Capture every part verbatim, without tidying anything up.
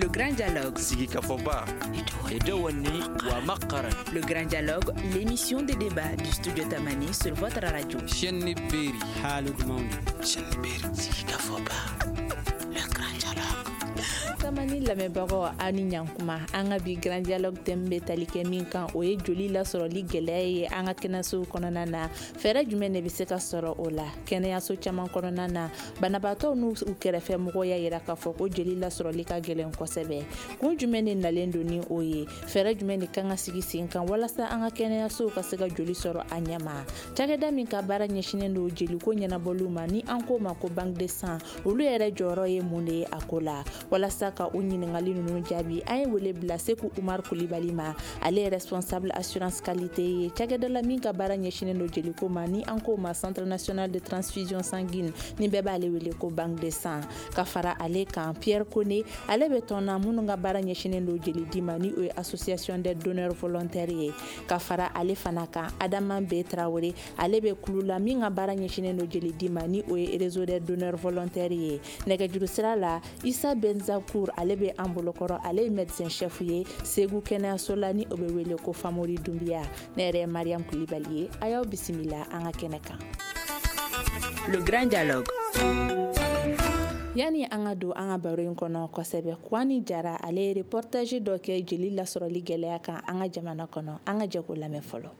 Le Grand Dialogue. Sigikafɔba. Le Grand Dialogue, l'émission de débat du studio Tamani sur votre radio. Chaîne Berry. Sigikafɔba. Le Grand Dialogue. Tamani lamɛnbagaw, aw ni ɲankuma. An ka bi Grand Dialogue thème bɛ tali kɛ min kan, o ye joli lasɔrɔli gɛlɛya ye an ka kɛnɛyasow kɔnɔna na. Fɛɛrɛ jumɛn de bɛ se ka sɔrɔ o la? Kɛnɛyaso caman kɔnɔna na, banabaatɔw n'u kɛrɛfɛ mɔgɔw y'a yira k'a fɔ ko joli lasɔrɔli ka gɛlɛn kosɛbɛ. Kun jumɛn de nalen don ni o ye? Fɛɛrɛ jumɛn de kan ka sigi sen kan walasa an ka kɛnɛyasow ka se ka joli sɔrɔ a ɲɛma? Cakɛda min ka baara ɲɛsinnen don jeliko ɲɛnabɔliw ma, ni an k'o ma ko Banque de sang, olu yɛrɛ jɔyɔrɔ ye mun de ye a ko la? Walasa ka o ɲininkali ninnu jaabi, an ye wele bila Seku Umar Kulibali ma. Ale ye responsable assurance qualité ye cakɛda la min ka baara ɲɛsinnen don jeliko ma, ni an k'o ma Centre national de transfusion sanguine, ni bɛɛ b'ale wele ko Banque de sang. Ka fara ale kan, Pierre Kone, ale bɛ tɔn na minnu ka baara ɲɛsinnen don jeli di ma, ni o ye Association des donneurs volontaires ye. Ka fara ale fana kan, Adama B Traoré, ale bɛ kulu la min ka baara ɲɛsinnen don jeli di ma, ni o ye Réseau des donneurs volontaires ye. Nɛgɛjuru sira la, Isa Benzakour, ale bɛ an bolokɔrɔ. Ale ye médecin chef ye Segu kɛnɛyaso la, ni o bɛ wele ko Famori Dunbiya. Ne yɛrɛ ye Mariam Kulibali ye. A y'aw bisimila an ka kɛnɛ kan. Le Grand Dialogue. Yani an ka don an ka baro in kɔnɔ kosɛbɛ, Kwani Jara, ale ye reportage dɔ kɛ jeli lasɔrɔli gɛlɛya kan an ka jamana kɔnɔ. An ka jɛ k'o lamɛn fɔlɔ.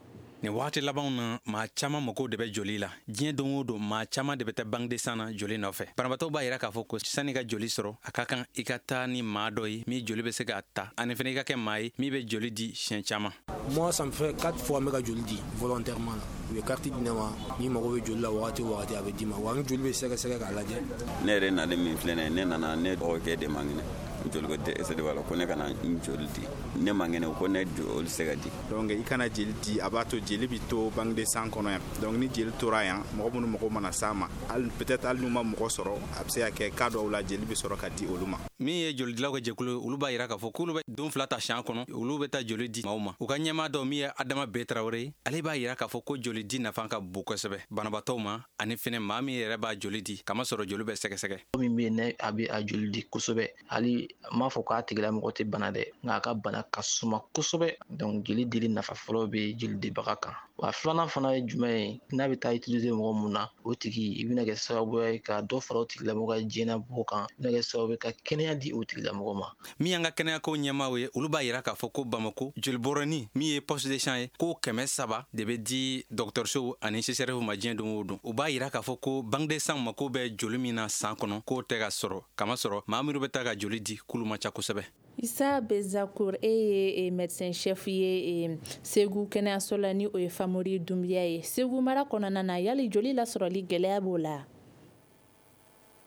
Nin wagati labanw na, maa caman mago de bɛ joli la. Diɲɛ don o don, maa caman de bɛ taa banque de sang na joli nɔfɛ. Banabaatɔw b'a yira k'a fɔ ko sani ka joli sɔrɔ, a ka kan i ka taa ni maa dɔ ye min joli bɛ se k'a ta, ani fana i ka kɛ maa ye min bɛ joli di siɲɛ caman. Moi, ça me fait quatre fois n bɛ ka joli di volontairement la. U ye carte di ne ma, n'i mago bɛ joli la wagati o wagati, a bɛ d'i ma. Wa n joli bɛ sɛgɛsɛgɛ k'a lajɛ. Ne yɛrɛ nalen min filɛ nin ye, ne nana, ne dɔgɔkɛ de man kɛnɛ, joliko dɛsɛ de b'a la, ko ne kana n joli di. Ne man kɛnɛ, ko ne joli se ka di. Donc i kana jeli di, a b'a to jeli bi to banque de sang kɔnɔ yan. Donc ni jeli tora yan, mɔgɔ minnu mago mana s'a ma, hali peut-être hali n'u ma mɔgɔ sɔrɔ, a bɛ se ka kɛ cas dɔw la, jeli bɛ sɔrɔ ka di olu ma. Min ye jolidilaw ka jɛkulu, olu b'a yira k'a fɔ k'olu bɛ don fila ta siɲɛ kɔnɔ, olu bɛ taa joli di maaw ma. U ka ɲɛmaa dɔ min ye Adama B Tarawele ye, ale b'a yira k'a fɔ ko joli di nafa ka bon kosɛbɛ banabaatɔw ma, ani fɛnɛ maa min yɛrɛ b'a joli di, kamasɔrɔ joli bɛ sɛgɛsɛgɛ. Min bɛ yen, ne a bɛ a joli di kosɛbɛ, hali n m'a fɔ k'a tigilamɔgɔ tɛ bana dɛ, nka a ka bana ka suma kosɛbɛ. Donc jeli dili nafa fɔlɔ bɛ jeli dibaga kan. Wa filanan fana ye jumɛn ye? N'a bɛ taa utiliser mɔgɔ mun na, o tigi i bɛna kɛ sababu ye ka dɔ fara o tigilamɔgɔ ka diɲɛnabɔ kan, i bɛna kɛ sababu ye ka kɛnɛya di o tigilamɔgɔ ma. Min y'an ka kɛnɛyako ɲɛmaaw ye, olu b'a yira k'a fɔ ko Bamako jolibɔrɔni min ye poche de sang ye, ko kɛmɛ saba de bɛ di dɔgɔtɔrɔsow ani C S R F ma diɲɛ don o don. U b'a yira k'a fɔ ko banque de sang mako bɛ joli min na san kɔnɔ, k'o tɛ ka sɔrɔ, kamasɔrɔ maa minnu bɛ taa ka joli di, k'olu man ca kosɛbɛ. Isa Bezakour, e ye médecin chef ye Segu kɛnɛyaso la, ni o ye Famori Dunbiya ye Segu mara kɔnɔna na. Yali joli lasɔrɔli gɛlɛya b'o la?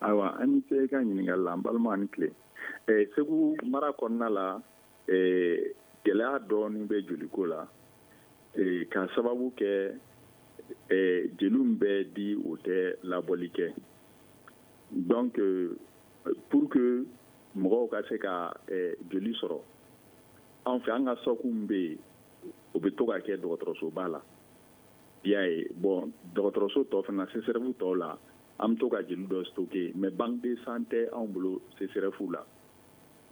Ayiwa, an ni ce i ka ɲininkali la. N balima, ani tile. Segu mara kɔnɔna la, gɛlɛya dɔɔni bɛ joliko la, ka sababu kɛ jeliw bɛ di, o tɛ labɔli kɛ. Donc pour que mɔgɔw ka se ka joli sɔrɔ an fɛ, an ka stock bɛ yen, o bɛ to ka kɛ dɔgɔtɔrɔsoba la, i y'a ye. Bon, dɔgɔtɔrɔso tɔ fana, C S R F tɔw la, an bɛ to ka joli dɔ stocker, mais banque de sang tɛ anw bolo C S R F la,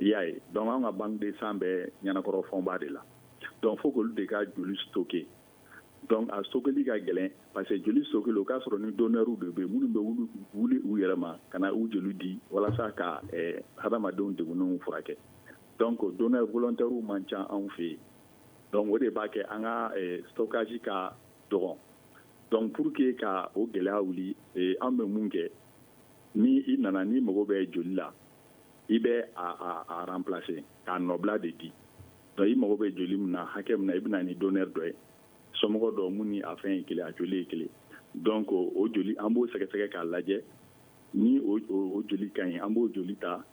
i y'a ye. Donc an ka banque de sang bɛ Ɲanakɔrɔ Fɔnba de la. Donc fo k'olu de ka joli stocker. Donc a stockeli ka gɛlɛn, parce que joli stockeli, o k'a sɔrɔ ni donneurs de bɛ yen minnu bɛ wuli wuli u yɛrɛ ma ka na u joli di walasa ka hadamadenw degunnenw furakɛ. Donc donneurs volontaires man ca anw fɛ yen. Donc o de b'a kɛ an ka stockage ka dɔgɔn. Donc pour que ka o gɛlɛya wuli, an bɛ mun kɛ? Ni i nana, n'i mago bɛ joli la, i bɛ a a remplacer k'a nɔbila de di. Donc i mago bɛ joli min na, hakɛ min na, i bɛ na ni donneur dɔ ye, somɔgɔ dɔ mun ni a fɛn ye kelen, a joli ye kelen. Donc o joli, an b'o sɛgɛsɛgɛ k'a lajɛ. Ni o o joli ka ɲi, an b'o joli ta.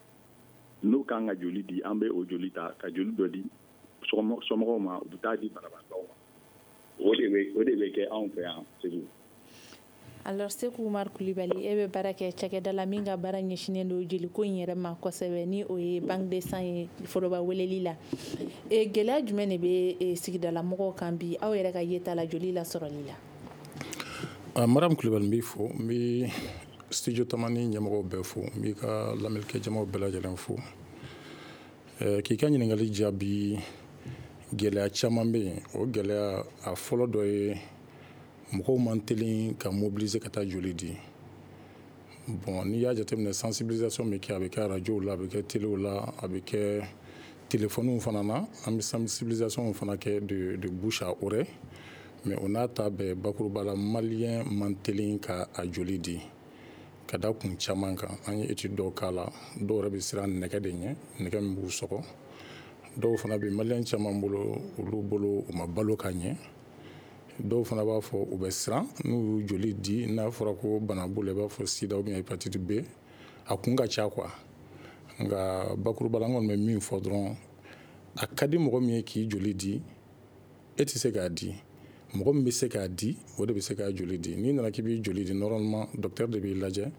N'o kan ka joli di, an bɛ o joli ta ka joli dɔ di somɔgɔw ma, u bɛ taa di banabaatɔw ma. O de bɛ o de bɛ kɛ anw fɛ yan Segu. Alors Seku Umar Kulibali, e bɛ baara kɛ cakɛda la min ka baara ɲɛsinnen don jeliko in yɛrɛ ma kosɛbɛ, ni o ye banque de sang ye foroba weleli la. E gɛlɛya jumɛn de bɛ sigidala mɔgɔw kan bi, aw yɛrɛ ka yeta la, joli lasɔrɔli la? Mariam Kulibali, n b'i fo, n bɛ studio Tamani ɲɛmɔgɔw bɛɛ fo, n b'i ka lamɛnnikɛ jamaw bɛɛ lajɛlen fo. K'i ka ɲininkali jaabi, gɛlɛya caman bɛ yen. O gɛlɛya a fɔlɔ dɔ ye, mɔgɔw man teli ka mobiliser ka taa joli di. Bon, n'i y'a jateminɛ, sensibilisation bɛ kɛ, a bɛ kɛ arajow la, a bɛ kɛ telew la, a bɛ kɛ téléphone fana na. An bɛ sensibilisation fana kɛ de, de bouche à oreille, mais o n'a ta bɛɛ, bakuruba la, malien man teli ka a joli di ka da kun caman kan. An ye étude dɔw k'a la. Dɔw yɛrɛ bɛ siran nɛgɛ de ɲɛ, nɛgɛ min b'u sɔgɔ. Dɔw fana bɛ malien caman bolo, olu bolo u ma balo ka ɲɛ. Dɔw fana b'a fɔ u bɛ siran n'u y'u joli di, n'a fɔra ko bana b'u la, i b'a fɔ sida ou bien hépatite B. A kun ka ca quoi. Nka bakuruba la, an kɔni bɛ min fɔ dɔrɔn, a ka di mɔgɔ min ye k'i joli di, e tɛ se k'a di. Mɔgɔ min bɛ se k'a di, o de bɛ se k'a joli di. N'i nana k'i b'i joli di, normalement docteur de b'i lajɛ,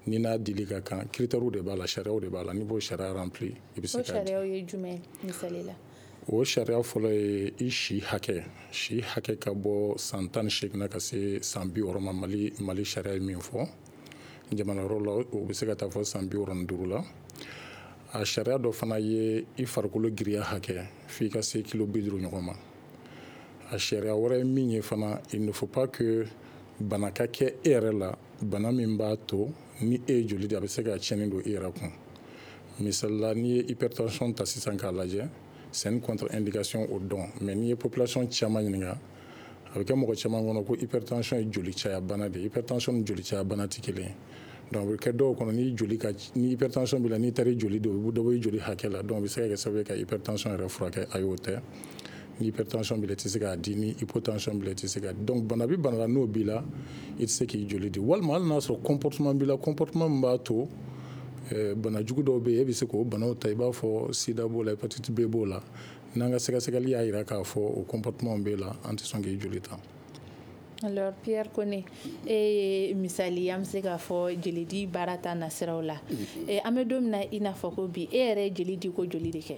ni n'a dili ka kan. Critères de b'a la, sariyaw de b'a la. N'i b'o sariya rempli, i bɛ se O k'a di. sariyaw ye jumɛn, misali la? O sariya fɔlɔ ye i si hakɛ. Si hakɛ ka bɔ san tan ni seegin na ka se san bi wɔɔrɔ ma. Mali Mali sariya ye min fɔ, jamana wɛrɛw la, o bɛ se ka taa fɔ san bi wɔɔrɔ ni duuru la. A sariya dɔ fana ye i farikolo giriya hakɛ, f'i ka se kilo bi duuru ɲɔgɔn ma. A sariya wɛrɛ ye min ye fana, il ne faut pas que bana ka kɛ e yɛrɛ la, bana min b'a to ni e ye joli di, a bɛ se ka tiɲɛni don i yɛrɛ kun. Misali la, n'i ye hypertension ta sisan k'a lajɛ, c'est une contre-indication au don. Mais n'i ye population caman ɲininka, a bɛ kɛ mɔgɔ caman kɔnɔ ko hypertension ye joli caya bana de ye. Hypertension ni joli caya bana tɛ kelen ye. Donc a bɛ kɛ dɔw kɔnɔ, ni joli ka, ni hypertension b'i la, n'i taara i joli di, o bɛ dɔ bɔ i joli hakɛ la. Donc o bɛ se ka kɛ sababu ye ka hypertension yɛrɛ furakɛ. Ayi, o tɛ. Ni hypertension b'i la, i tɛ se k'a di. Ni hypotension b'i la, i tɛ se k'a di. Donc bana bɛ bana la, n'o b'i la, i tɛ se k'i joli di. Walima hali n'a sɔrɔ comportement b'i la, comportement min b'a to bana jugu dɔw bɛ yen, e bɛ se k'o banaw ta, i b'a fɔ sida b'o la, hépatite B b'o la. N'an ka sɛgɛsɛgɛli y'a jira k'a fɔ o comportement b'e la, an tɛ sɔn k'i joli ta. Alors Pierre Kone, e ye misali, an bɛ se k'a fɔ jelidi baara ta nasiraw la. An bɛ don min na i n'a fɔ ko bi, e yɛrɛ ye jeli di ko joli de kɛ?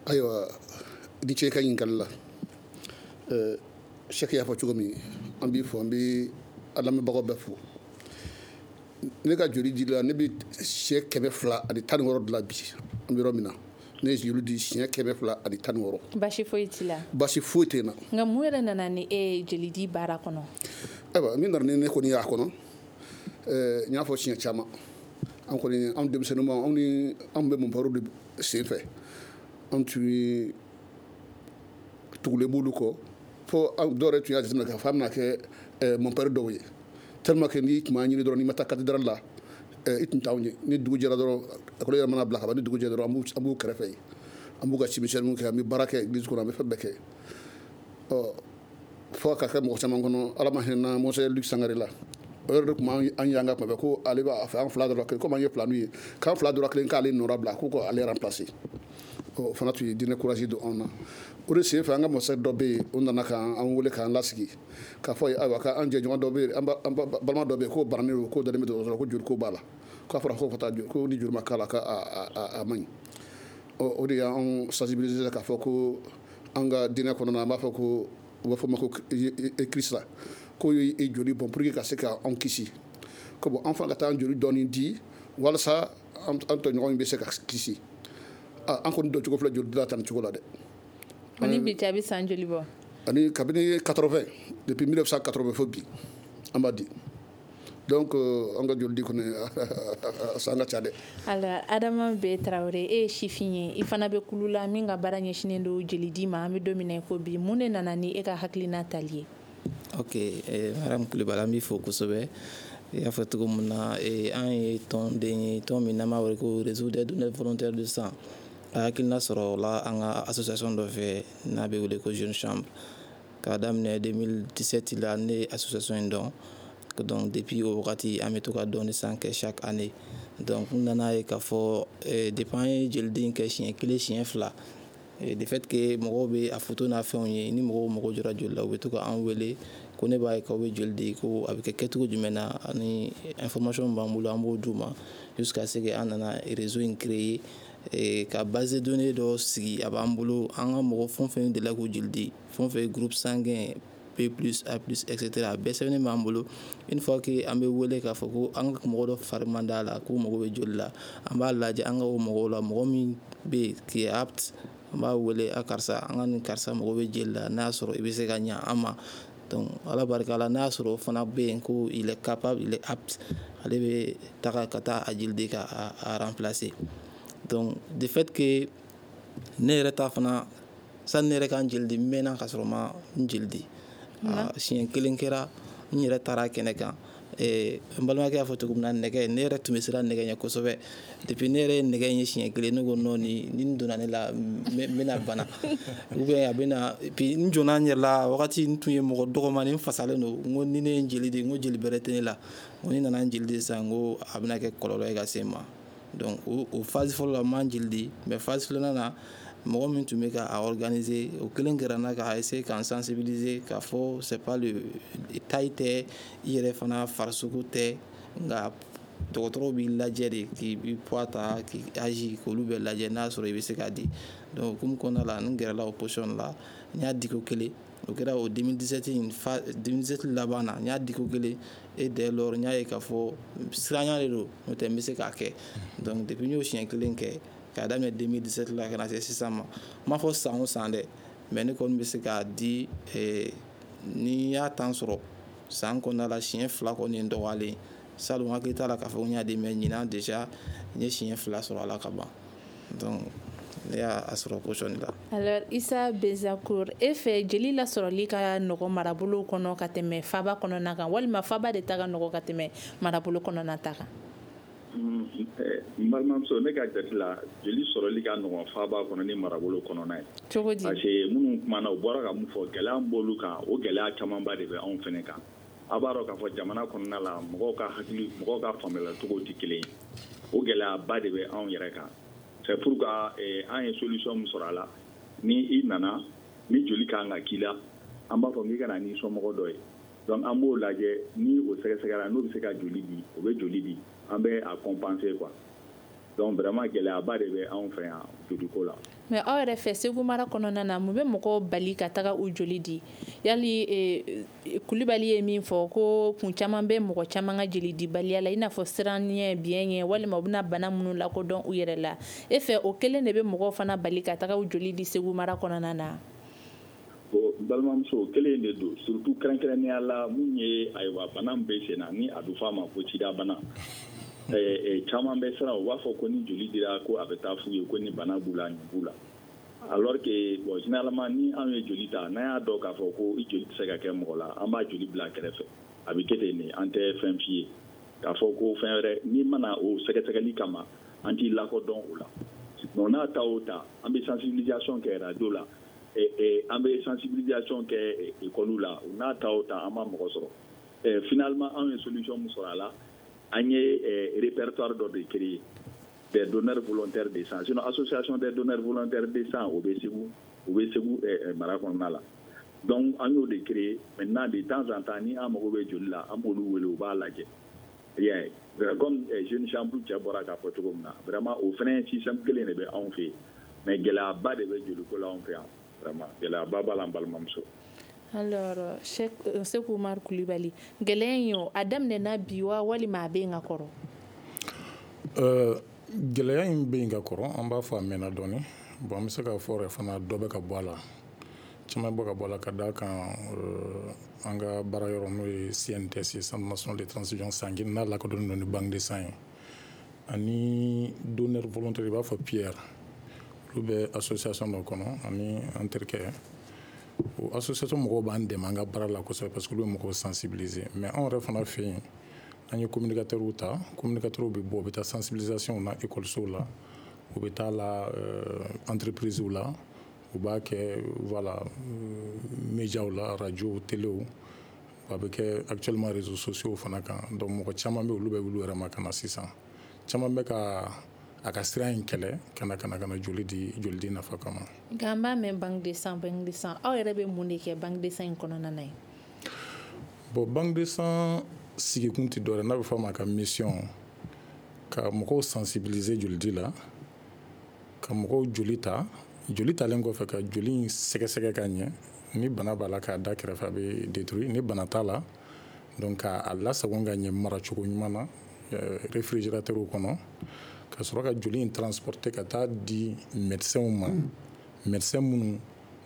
Ayiwa, i ni ce i ka ɲininkali la. Sɛki y'a fɔ cogo min, an b'i fo, an bɛ an lamɛnbagaw bɛɛ fo. Ne ka joli di la, ne bɛ siɲɛ kɛmɛ fila ani tan ni wɔɔrɔ dilan bi. An bɛ yɔrɔ min na, ne ye joli di siɲɛ kɛmɛ fila ani tan ni wɔɔrɔ. Basi foyi t'i la? Basi foyi tɛ n na. Nka mun yɛrɛ nana ni e ye jeli di baara kɔnɔ? Ayiwa, min nana ni ne kɔni y'a kɔnɔ, n y'a fɔ siɲɛ caman, an kɔni, anw denmisɛnninma, anw ni anw bɛ mɔnparo de sen fɛ, an tun ye tugulen b'olu kɔ, fo dɔw yɛrɛ tun y'a jateminɛ k'a fɔ an bɛna kɛ mɔnpɛri dɔw ye, tellement que n'i tun b'an ɲini dɔrɔn, n'i ma taa cathédrale la, i tun t'anw ye. Ni dugu jɛra dɔrɔn, ekɔli yɛrɛ mana bila ka ban, ni dugu jɛra dɔrɔn, an b'u kɛrɛfɛ yen, an b'u ka cimisɛnninw kɛ, an bɛ baara kɛ église kɔnɔ, an bɛ fɛn bɛɛ kɛ. Ɔ fo ka kɛ mɔgɔ caman kɔnɔ, Ala ma hinɛ Monseigneur Luc Sangare la, o yɛrɛ de tun b'an yanga tuma bɛɛ ko ale b'a fɛ an fila dɔrɔn kelen, komi an ye filaninw ye, k'an fila dɔrɔn kelen k'ale nɔra bila, ko k'ale remplacer. O fana tun ye diinɛ courage don anw na. O de sen fɛ, an ka masakɛ dɔ bɛ yen, o nana k'an wele k'an lasigi k'a fɔ ye, ayiwa, k'an jɛɲɔgɔn dɔ bɛ yen, an balima dɔ bɛ yen, k'o bananen don, k'o dalen bɛ dɔgɔtɔrɔso la, ko joli ko b'a la, k'a fɔra ko ka taa joli, ko ni joli ma k'a la, k'a a man ɲi. O de y'anw sensibiliser k'a fɔ ko an ka diinɛ kɔnɔna na, an b'a fɔ ko u b'a fɔ ma ko Kirisa, k'o ye joli bɔn pour que ka se k'anw kisi, ko bon, an fana ka taa an joli dɔɔni di walasa an tɔɲɔgɔn bɛ se ka kisi. An kɔni don cogo filɛ joli dila tan cogo la dɛ. Ani bi cɛ, a bɛ san joli bɔ? Ani kabini quatre-vingts, depuis mille neuf cent quatre-vingts fo bi, an b'a di. Donc an ka joli di kɔni, san ka ca dɛ. Alors Adama B Tarawele, e ye sifin ye, i fana bɛ kulu la min ka baara ɲɛsinnen don jeli di ma. An bɛ don min na i ko bi, mun de nana ni e ka hakilina tali ye? Ok, madame Kulibali, an b'i fo kosɛbɛ. I y'a fɔ cogo min na, an ye tɔnden ye, tɔn min n'an b'a wele ko Réseau des donneurs volontaires de sang. A hakilina sɔrɔ o la an ka association dɔ fɛ n'a bɛ wele ko Jeune Chambre. K'a daminɛ deux mille dix-sept la, ne ye association in dɔn. Donc depuis o wagati, an bɛ to ka don de sang kɛ chaque année. Donc n nana ye k'a fɔ depuis an ye jeliden kɛ siɲɛ kelen, siɲɛ fila, de fait que mɔgɔw bɛ a photo n'a fɛnw ye, ni mɔgɔw mago jɔra joli la, u bɛ to ka an wele ko ne b'a ye k'aw bɛ joli di, ko a bɛ kɛ kɛcogo jumɛn na, ani information b'an bolo, an b'o d'u ma, jusqu'à ce que an nana réseau in créer ka base de données dɔ sigi. A b'an bolo, an ka mɔgɔ fɛn o fɛn delila k'u joli di, fɛn o fɛn ye groupe sanguin B plus, A plus, et cetera. A bɛɛ sɛbɛnnen b'an bolo. Une fois que an bɛ wele k'a fɔ ko an ka mɔgɔ dɔ fari man d'a la, k'u mago bɛ joli la, an b'a lajɛ an ka o mɔgɔw la, mɔgɔ min bɛ yen qui est apte, an b'a wele: a karisa, an ka nin karisa mago bɛ jeli la, n'a y'a sɔrɔ i bɛ se ka ɲa an ma. Donc Ala barika la, n'a y'a sɔrɔ o fana bɛ yen ko il est capable, il est apte, ale bɛ taga ka taa a jeli di ka a remplacer. Donc de fait que ne yɛrɛ ta fana, sani ne yɛrɛ ka n jeli di, n mɛnna ka sɔrɔ ma n jeli di. Siɲɛ kelen kɛra, n yɛrɛ taara kɛnɛ kan. N balimakɛ y'a fɔ cogo min na, nɛgɛ, ne yɛrɛ tun bɛ siran nɛgɛ ɲɛ kosɛbɛ. Depuis ne yɛrɛ ye nɛgɛ in ye siɲɛ kelen, ne ko non, ni nin donna ne la, n bɛna bana ou bien a bɛna. Puis n jɔnna n yɛrɛ la, wagati n tun ye mɔgɔ dɔgɔmani, n fasalen don. N ko ni ne ye n jeli di, n ko jeli bɛrɛ tɛ ne la, n ko ni nana n jeli di sisan, n ko a bɛna kɛ kɔlɔlɔ ye ka se n ma. Donc o o phase fɔlɔ la, n ma n jeli di. Mais phase filanan na, mɔgɔ min tun bɛ ka a organiser, o kelen kɛra n na k'a essayer k'an sensibiliser k'a fɔ c'est pas le taille tɛ, i yɛrɛ fana farisogo tɛ, nka dɔgɔtɔrɔw b'i lajɛ de, k'i poids ta, k'i âge, k'olu bɛɛ lajɛ, n'a sɔrɔ i bɛ se k'a di. Donc hukumu kɔnɔna la, n gɛrɛla o position la, n y'a di ko kelen. O kɛra o deux mille dix-sept in fa, deux mille dix-sept laban na, n y'a di ko kelen. Et dès lors, n y'a ye k'a fɔ siranya de don, n'o tɛ n bɛ se k'a kɛ. Donc depuis n y'o siɲɛ kelen kɛ, k'a daminɛ deux mille dix-sept la ka na se sisan ma, n m'a fɔ san o san dɛ, mais ne kɔni bɛ se k'a di, ni y'a temps sɔrɔ, san kɔnɔna la, siɲɛ fila kɔni ye n dɔgɔyalen. Salon, hakili t'a la k'a fɔ ko n y'a di, mais ɲinan déjà n ye siɲɛ fila sɔrɔ a la ka ban. Donc ne y'a sɔrɔ position la. Alors Isa Bezakur, e fɛ, jeli lasɔrɔli ka nɔgɔ marabolo kɔnɔ ka tɛmɛ faba kɔnɔna kan, walima faba de ta ka nɔgɔ ka tɛmɛ marabolo kɔnɔna ta kan? N balimamuso, ne ka jate la, jeli sɔrɔli ka nɔgɔn faba kɔnɔ ni marabolo kɔnɔna ye. Cogo di? Parce que minnu kumana, u bɔra ka mun fɔ, gɛlɛya min b'olu kan, o gɛlɛya camanba de bɛ anw fɛnɛ kan. A b'a dɔn k'a fɔ jamana kɔnɔna la, mɔgɔw ka hakili, mɔgɔw ka faamuyalicogo tɛ kelen ye. O gɛlɛyaba de bɛ anw yɛrɛ kan. C'est pourquoi an ye solution min sɔrɔ a la, ni i nana ni joli kan ka k'i la, an b'a fɔ k'i ka na n'i somɔgɔ dɔ ye. Donc an b'o lajɛ, ni o sɛgɛsɛgɛra, n'o bɛ se ka joli di, o bɛ joli di, an bɛ a compenser quoi. Donc vraiment, gɛlɛyaba de bɛ anw fɛ yan joliko la. Mais aw yɛrɛ fɛ, Segu mara kɔnɔna na, mun bɛ mɔgɔw bali ka taga u joli di? Yali Kulibali ye min fɔ ko kun caman bɛ mɔgɔ caman ka jeli dibaliya la, i n'a fɔ siran ɲɛ, biɲɛ ɲɛ, walima u bɛna bana minnu lakodɔn u yɛrɛ la, e fɛ, o kelen de bɛ mɔgɔw fana bali ka taga u joli di Segu mara kɔnɔna na? Bon, balimamuso, o kelen de don, surtout kɛrɛnkɛrɛnnenya la mun ye, ayiwa, bana min bɛ sen na, ni a bɛ fɔ a ma ko sida bana. Caman bɛ siran, u b'a fɔ ko ni joli dira, ko a bɛ taa f'u ye ko ni bana b'u la, nin b'u la. Alors que bon, généralement, ni anw ye joli ta, n'an y'a dɔn k'a fɔ ko i joli tɛ se ka kɛ mɔgɔ la, an b'a joli bila kɛrɛfɛ, a bɛ kɛ ten de. An tɛ fɛn f'i ye k'a fɔ ko fɛn wɛrɛ n'i mana o sɛgɛsɛgɛli kama, an t'i lakodɔn o la. Donc n'a ta o ta, an bɛ sensibilisation kɛ radio la, an bɛ sensibilisation kɛ école la, o n'a ta o ta, an ma mɔgɔ sɔrɔ. Finalement, anw ye solution min sɔrɔ a la, an ye répertoire dɔ de créer des donneurs volontaires de sang. Sinon, association des donneurs volontaires de sang, o bɛ Segu, o bɛ Segu mara kɔnɔna la. Donc an y'o de créer. Maintenant, de temps en temps, ni an mago bɛ joli la, an b'olu wele, u b'a lajɛ. I y'a ye, comme jeune chambre cɛ bɔra k'a fɔ cogo min na, vraiment, o fana système kelen de bɛ anw fɛ yen. Mais gɛlɛyaba de bɛ joliko la anw fɛ yan, vraiment, gɛlɛyaba b'a la, n balimamuso. Alors Seku Umar Kulibali, gɛlɛya in o, a daminɛna bi wa, walima a bɛ yen ka kɔrɔ? Gɛlɛya in bɛ yen ka kɔrɔ, an b'a fɔ a mɛnna dɔɔni. Bon, an bɛ se k'a fɔ yɛrɛ fana, dɔ bɛ ka bɔ a la, caman bɛ ka bɔ a la, ka d'a kan an ka baara yɔrɔ, n'o ye C N T S, Centre national de transfusion sanguine, n'a lakodɔnnen don ni banque de sang ye, ani donneur volontaire, i b'a fɔ Pierre, olu bɛ association dɔ kɔnɔ, ani an terikɛ. O association mɔgɔw b'an dɛmɛ an ka baara la kosɛbɛ, parce que olu bɛ mɔgɔw sensibiliser. Mais anw yɛrɛ fana fɛ yen, an ye communicateurs ta. Communicateurs bɛ bɔ, u bɛ taa sensibilisation na école la, u bɛ taa la entreprise la, u b'a kɛ, voilà, médiaw la, radio, téléw, a bɛ kɛ actuellement réseaux sociaux fana kan. Donc mɔgɔ caman bɛ, olu bɛ wuli u yɛrɛ ma ka na sisan. Caman bɛ ka a ka sira in kɛlɛ ka na ka na ka na joli di, joli di nafa kama. Nka an b'a mɛn banque de sang, banque de sang. Aw yɛrɛ bɛ mun de kɛ banque de sang in kɔnɔna na yen? Bon, banque de sang sigikun tɛ dɔwɛrɛ, n'a bɛ fɔ a ma ka mission, ka mɔgɔw sensibiliser jolidi la, ka mɔgɔw joli ta, joli talen kɔfɛ, ka joli in sɛgɛsɛgɛ ka ɲɛ. Ni bana b'a la, k'a da kɛrɛfɛ, a bɛ détruire. Ni bana t'a la, donc k'a lasago ka ɲɛ maracogo ɲuman na réfrigérateur kɔnɔ, ka sɔrɔ ka joli in transporter ka taa di médecins ma, médecins minnu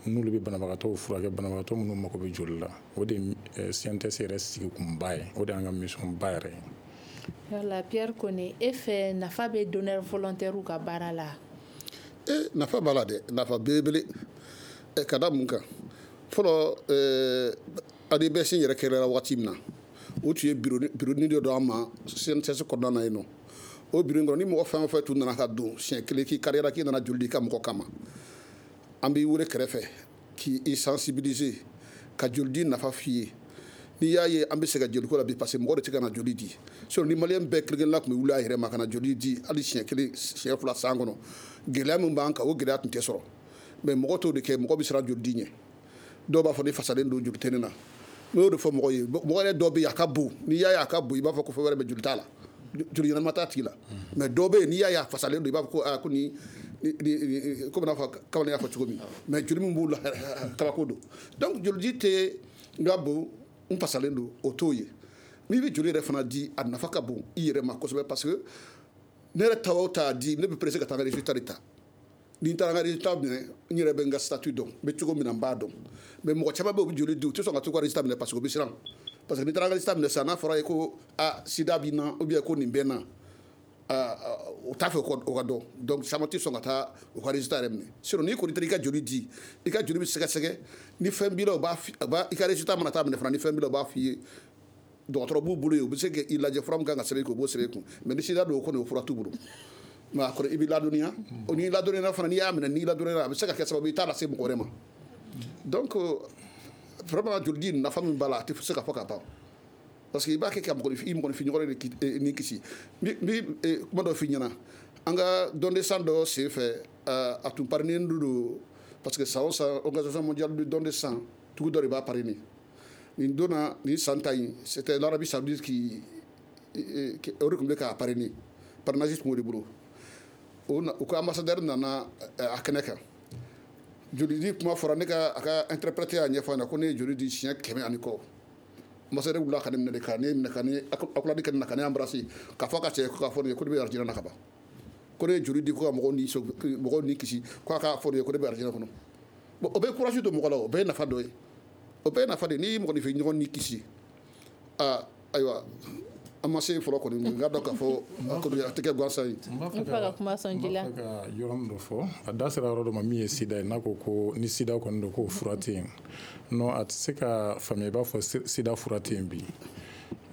n'olu bɛ banabagatɔw furakɛ, banabagatɔ minnu mako bɛ joli la. O de ye C N T S yɛrɛ sigikunba ye, o de y'an ka mission ba yɛrɛ ye. Yala Pierre Kone, e fɛ, nafa bɛ donneur volontaire ka baara la? E, nafa b'a la dɛ, nafa belebele. Ka da mun kan? Fɔlɔ, A D B S yɛrɛ kɛra waati min na, o tun ye bureau dɔ d'an ma C N T S kɔnɔna na yen nɔ. O bureau in kɔnɔ, ni mɔgɔ fɛn o fɛn tun nana ka don siɲɛ kelen k'i kariyara k'i nana joli di i ka mɔgɔ kama, an b'i wele kɛrɛfɛ k'i sensibiliser, ka joli di nafa f'i ye. N'i y'a ye an bɛ se ka joliko la bi, parce que mɔgɔ de tɛ ka na joli di. Sinon ni maliyɛn bɛɛ kelen kelenna tun bɛ wuli a yɛrɛ ma ka na joli di, hali siɲɛ kelen, siɲɛ fila san kɔnɔ, gɛlɛya min b'an kan, o gɛlɛya tun tɛ sɔrɔ. Mais mɔgɔ t'o de kɛ, mɔgɔ bɛ siran joli di ɲɛ. Dɔw b'a fɔ ni fasalen don, joli tɛ ne na. N y'o de fɔ mɔgɔ ye, mɔgɔ yɛrɛ dɔw bɛ yen, a ka bon, n'i y'a ye a ka bon, i b'a fɔ ko fɛn wɛrɛ bɛ, joli t'a la, joli ɲɛnama t'a tigi la. Mais dɔw bɛ yen, n'i y'a ye a fasalen don, i b'a fɔ ko aa, ko ni komi n'a fɔ kamalen y'a fɔ cogo min. Mais joli min b'u la, kabako don. Donc joli di tɛ n ka bon, n fasalen don, o t'o ye. N'i bɛ joli yɛrɛ fana di, a nafa ka bon i yɛrɛ ma kosɛbɛ, parce que ne yɛrɛ ta o ta di, ne bɛ pressé ka taa n ka résultat de ta. Ni n taara n ka résultat minɛ, n yɛrɛ bɛ n ka statut dɔn, n bɛ cogo min na, n b'a dɔn. Mais mɔgɔ caman bɛ yen, u bɛ joli di, u tɛ sɔn ka t'u ka résultat minɛ, parce que u bɛ siran. Parce que n'i taara n ka résultat minɛ sisan, n'a fɔra ye ko a sida b'i na, ou bien ko nin bɛ n na, o t'a fɛ o ka dɔn. Donc caman tɛ sɔn ka taa u ka résultat yɛrɛ minɛ. Sinon n'i kɔni taara i ka joli di, i ka joli bɛ sɛgɛsɛgɛ, ni fɛn b'i la, u b'a i ka résultat mana taa minɛ fana, ni fɛn b'i la, u b'a f'i ye. Dɔgɔtɔrɔ b'u bolo yen, u bɛ se k'i lajɛ, fura min kan ka sɛbɛn i kun, u b'o sɛbɛn i kun. Mais ni sida don, o kɔni, o fura t'u bolo. Mais a kɔni, i bɛ ladɔnniya. O n'i ladɔnniyara fana, n'i y'a minɛ, n'i ladɔnniyara, a bɛ se ka kɛ sababu ye i t'a lase mɔgɔ wɛrɛ ma. Donc vraiment, joli di nafa min b'a la, a tɛ se ka fɔ ka ban, parce que i b'a kɛ ka mɔgɔnifin, i mɔgɔnifin ɲɔgɔn de ni kisi. N bɛ kuma dɔ f'i ɲɛna. An ka don de sang dɔ sen fɛ, a tun parrainé don, parce que san o san, Organisation mondiale du don de sang, dugu dɔ de b'a parrainé. Nin donna nin san ta in, c'était l'Arabie Saoudite qui o de tun bɛ k'a parrainer, parrainage tun b'o de bolo. O ka ambassadeur nana a kɛnɛ kan, joli di kuma fɔra, ne ka a ka interprète y'a ɲɛfɔ a ɲɛna ko ne ye joli di siɲɛ kɛmɛ ani kɔ. Ambassadeur wulila ka ne minɛ de, ka ne minɛ, ka ne accolade kɛ ne na, ka ne embrasser, k'a fɔ a ka cɛ ko k'a fɔ ne ye ko ne bɛ arijinɛ na ka ban, ko ne ye joli di ko ka mɔgɔw ni mɔgɔw ni kisi, ko a k'a fɔ ne ye ko ne bɛ arijinɛ kɔnɔ. Bon, o bɛ courage don mɔgɔ la, o bɛɛ ye nafa dɔ ye, o bɛɛ ye nafa de ye. N'i y'i mɔgɔninfin ɲɔgɔn ni kisi, aa, ayiwa, an ma se fɔlɔ kɔni, n k'a dɔn k'a fɔ a tɛ kɛ gansan ye. N b'a fɛ ka kuma sɔn ji la. N b'a fɛ ka yɔrɔ min dɔ fɔ, a da sera yɔrɔ dɔ ma min ye sida ye, n'a ko ko ni sida kɔni don, k'o fura tɛ yen. Non, a tɛ se ka faamuya i b'a fɔ sida fura tɛ yen bi.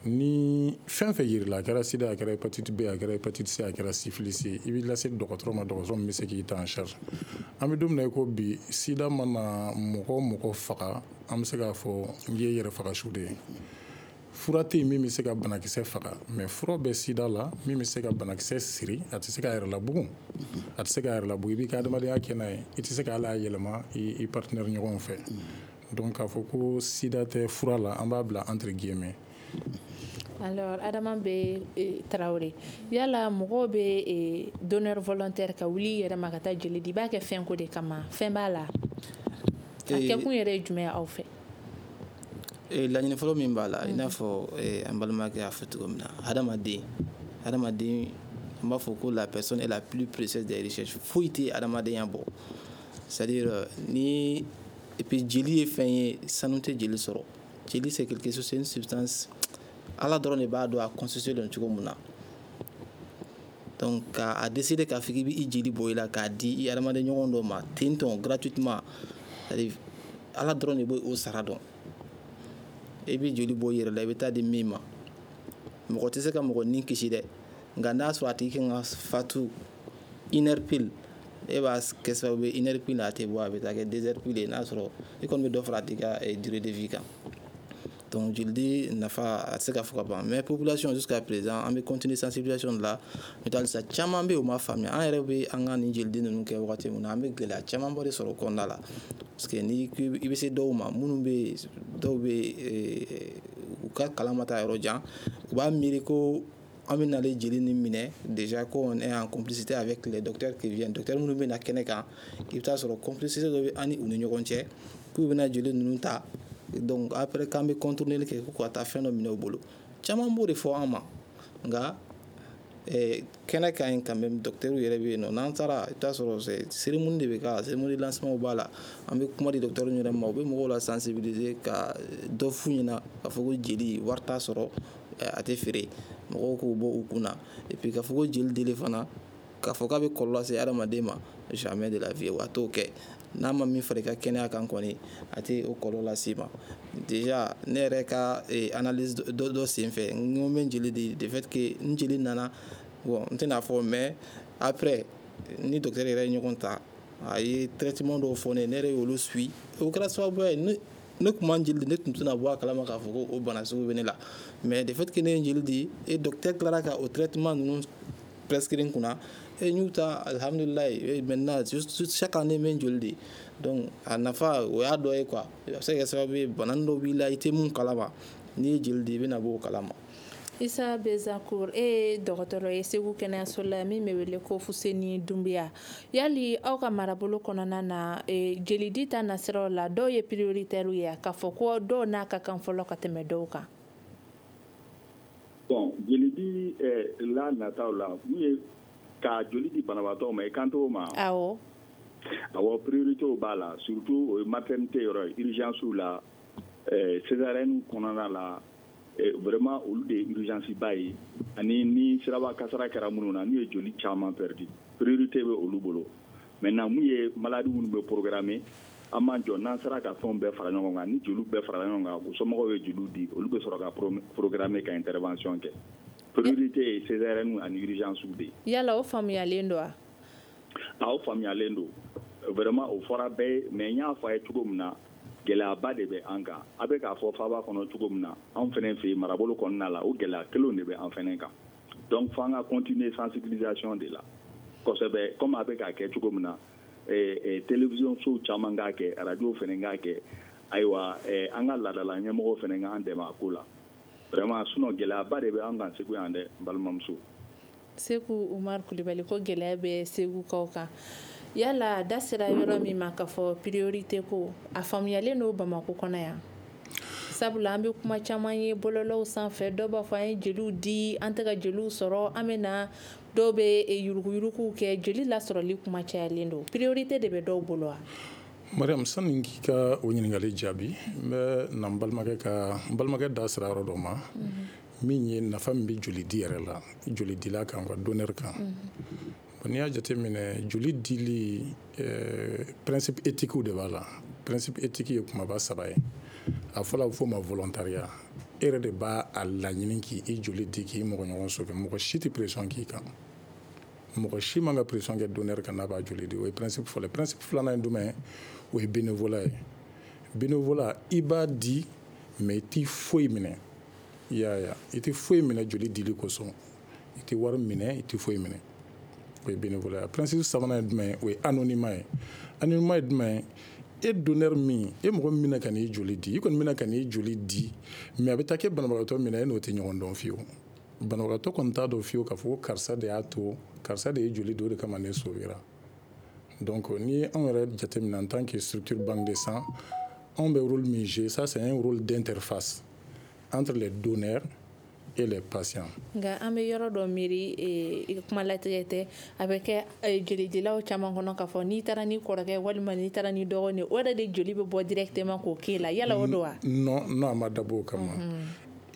Ni fɛn fɛn yirila, a kɛra sida, a kɛra hépatite B, a kɛra hépatite C, a kɛra syphilis ye, i b'i lase dɔgɔtɔrɔ ma, dɔgɔtɔrɔ min bɛ se k'i ta en charge. An bɛ don min na i ko bi, sida mana mɔgɔ o mɔgɔ faga, an bɛ se k'a fɔ n ye yɛrɛ faga su de ye. Fura tɛ yen min bɛ se ka banakisɛ faga, mais fura bɛ sida la min bɛ se ka banakisɛ siri. A tɛ se k'a yɛrɛ labugun, a tɛ se k'a yɛrɛ labugun. I b'i ka adamadenya kɛ n'a ye, i tɛ se ka hali a yɛlɛma i partenaire ɲɔgɔn fɛ. Donc k'a fɔ ko sida tɛ fura la, an b'a bila entre guillemets. Alors Adama bɛ Tarawele, yala mɔgɔw bɛ donneur volontaire ka wuli i yɛrɛ ma ka taa joli di, i b'a kɛ fɛn ko de kama, fɛn b'a la, a kɛkun yɛrɛ ye jumɛn ye aw fɛ? Laɲini fɔlɔ min b'a la, i n'a fɔ an balimakɛ y'a fɔ cogo min na, hadamaden hadamaden an b'a fɔ ko la personne est la plus précieuse des richesses. Foyi tɛ hadamadenya bɔ. C'est à dire ni, et puis jeli ye fɛn ye, sanu tɛ jeli sɔrɔ. Jeli, c'est quelque chose, c'est une substance, Ala dɔrɔn de b'a dɔn a constitué don cogo min na. Donc k'a décider k'a fɔ k'i bɛ i jeli bɔ i la k'a di i hadamaden ɲɔgɔn dɔ ma ten tɔn gratuitement, c'est à dire Ala dɔrɔn de b'o sara dɔn. I bɛ joli bɔ i yɛrɛ la, i bɛ taa di min ma, mɔgɔ tɛ se ka mɔgɔ ni kisi dɛ, nka n'a sɔrɔ a tigi kan ka fatu une heure pile, e b'a kɛ sababu ye une heure pile a tɛ bɔ, a bɛ taa kɛ deux heures pile ye, n'a sɔrɔ i kɔni bɛ dɔ fara a tigi ka durée de vie kan. Donc joli di nafa, a tɛ se ka fɔ ka ban. Mais population, jusqu'à présent, an bɛ continuer sensibilisation de la. N'o tɛ halisa caman bɛ yen, o ma faamuya. An yɛrɛ bɛ an ka nin jolidi ninnu kɛ wagati min na, an bɛ gɛlɛya camanba de sɔrɔ o kɔnɔna la, parce que ni i bɛ se dɔw ma, minnu bɛ yen, dɔw bɛ yen, u ka kalan ma taa yɔrɔ jan, u b'a miiri ko An bɛ nalen jeli ni minɛ déjà, ko on est en complicité avec les docteurs qui viennent. Docteur minnu bɛ na kɛnɛ kan, i bɛ taa sɔrɔ complicité dɔ bɛ an ni u ni ɲɔgɔn cɛ, k'u bɛna jeli ninnu ta. Donc après, k'an bɛ contourner kɛ ko ka taa fɛn dɔ minɛ u bolo. Caman b'o de fɔ an ma. Nka kɛnɛ ka ɲi quand même, docteur yɛrɛ bɛ yen nɔ. N'an taara, i bɛ taa sɔrɔ cérémonie de bɛ k'a la, cérémonie de lancement b'a la. An bɛ kuma di docteur yɛrɛ ma, u bɛ mɔgɔw la sensibiliser ka dɔ f'u ɲɛna k'a fɔ ko jeli wari t'a sɔrɔ, a tɛ feere, mɔgɔw k'o bɔ u kun na. Et puis k'a fɔ ko jeli dili fana, k'a fɔ k'a bɛ kɔlɔlɔ lase hadamaden ma, jamais de la vie, a t'o kɛ. N'a ma min fara i ka kɛnɛya kan kɔni, a tɛ o kɔlɔlɔ las'i ma. Déjà, ne yɛrɛ ka analyse dɔ dɔ sen fɛ, n ko n bɛ jeli di, de fait que n jeli nana, bon, n tɛna fɔ, mais après ni docteur yɛrɛ ye ɲɔgɔn ta, a ye traitement dɔw fɔ ne ye, ne yɛrɛ y'olu suit. O kɛra sababu ye ne ne tun man jeli di, ne tun tɛna bɔ a kalama k'a fɔ ko o bana sugu bɛ ne la. Mais de fait que ne ye jeli di et docteur tilara ka o traitement ninnu prescrire n kunna, et n y'u ta, alhamdulilayi. Maintenant, chaque année, n bɛ n joli di. Donc a nafa, o y'a dɔ ye quoi. A bɛ se ka kɛ sababu ye, bana dɔ b'i la, i tɛ mun kalama, n'i ye jeli di, i bɛna bɔ o kalama. Isa Bezakur, e ye dɔgɔtɔrɔ ye Segu kɛnɛyaso la min bɛ wele ko Fuseni Dunbiya. Yali aw ka marabolo kɔnɔna na, jelidi ta nasiraw la, dɔw ye prioritaire ye, k'a fɔ ko dɔw n'a ka kan fɔlɔ ka tɛmɛ dɔw kan? Bon, jelidi la nataw la, mun ye ka joli di banabaatɔ ma, i kan t'o ma? Awɔ. Awɔ, priorité b'a la, surtout o ye maternité yɔrɔ ye, urgence la, césarienne kɔnɔna la. Vraiment, olu de ye urgence ba ye, ani ni siraba kasara kɛra minnu na, n'u ye joli caman perdu, priorité bɛ olu bolo. Maintenant, mun ye maladie minnu bɛ programmer, an b'an jɔ n'an sera ka fɛnw bɛɛ fara ɲɔgɔn kan, ni joliw bɛɛ fara ɲɔgɔn kan, u somɔgɔw ye joliw di, olu bɛ sɔrɔ ka programmer ka intervention kɛ. Priorité ye césarienne ani urgence de ye. Yala o faamuyalen don wa? A, o faamuyalen don vraiment, o fɔra bɛɛ ye. Mais n y'a fɔ a ye cogo min na, gɛlɛyaba de bɛ an kan. A bɛ k'a fɔ faaba kɔnɔ cogo min na, anw fɛnɛ fɛ yen, marabolo kɔnɔna la, o gɛlɛya kelenw de bɛ an fɛnɛ kan. Donc f'an ka continuer sensibilisation de la kosɛbɛ, comme a bɛ k'a kɛ cogo min na, télévision sow caman k'a kɛ, radio fɛnɛ k'a kɛ. Ayiwa, an ka laadala ɲɛmɔgɔw fɛnɛ k'an dɛmɛ a ko la vraiment. Sinon gɛlɛyaba de bɛ an kan Segu yan dɛ, n balimamuso. Seku Umar Kulibali, ko gɛlɛya bɛ Segukaw kan. Yala da sera yɔrɔ min ma k'a fɔ priorité ko, a faamuyalen don Bamakɔ kɔnɔ yan? Sabula an bɛ kuma caman ye bɔlɔlɔw sanfɛ, dɔw b'a fɔ an ye jeliw di, an tɛ ka jeliw sɔrɔ, an bɛ na, dɔw bɛ yuruguyuruguw kɛ, jeli lasɔrɔli kuma cayalen don. Priorité de bɛ dɔw bolo wa? Mariam, sani k'i ka o ɲininkali jaabi, n bɛ na n balimakɛ ka n balimakɛ da sera yɔrɔ dɔ ma, min ye nafa min bɛ joli di yɛrɛ la, jolidila kan, ka donneur kan. N'i y'a jateminɛ, joli dili, principe éthique de b'a la. Principe éthique ye kumaba saba ye. A fɔlɔ, a bɛ f'o ma volontariat. E yɛrɛ de b'a a laɲini k'i joli di k'i mɔgɔ ɲɔgɔn sauver. Mɔgɔ si tɛ pression k'i kan, mɔgɔ si man ka pression kɛ donneur kan n'a b'a joli di. O ye principe fɔlɔ ye. Principe filanan ye jumɛn ye? O ye bénévolat ye. Bénévolat, i b'a di, mais i t'i foyi minɛ. I y'a ye, i tɛ foyi minɛ joli dili kosɔn, i tɛ wari minɛ, i tɛ foyi minɛ. O ye bénévolat ye. Principe sabanan ye jumɛn ye? O ye anonymat ye. Anonymat ye jumɛn ye? E donneur min, e mɔgɔ min bɛna ka n'i joli di, i kɔni bɛna ka n'i joli di, mais a bɛ taa kɛ banabagatɔ min na, e n'o tɛ ɲɔgɔn dɔn fiyewu. Banabagatɔ kɔni t'a dɔn fiyewu k'a fɔ ko karisa de y'a to, karisa de ye joli di, o de kama ne sauvera. Donc ni anw yɛrɛ jateminɛ, en tant que structure banque de sang, anw bɛ rôle min jouer, ça c'est un rôle d'interface entre les donneurs et les patients. Nka an bɛ yɔrɔ dɔ miiri, kuma latigɛ tɛ, a bɛ kɛ jelidilaw caman kɔnɔ k'a fɔ n'i taara ni kɔrɔkɛ walima n'i taara ni dɔgɔnin ye, o yɛrɛ de joli bɛ bɔ directement k'o k'e la. Yala o don wa? Non non, a ma dabɔ o kama.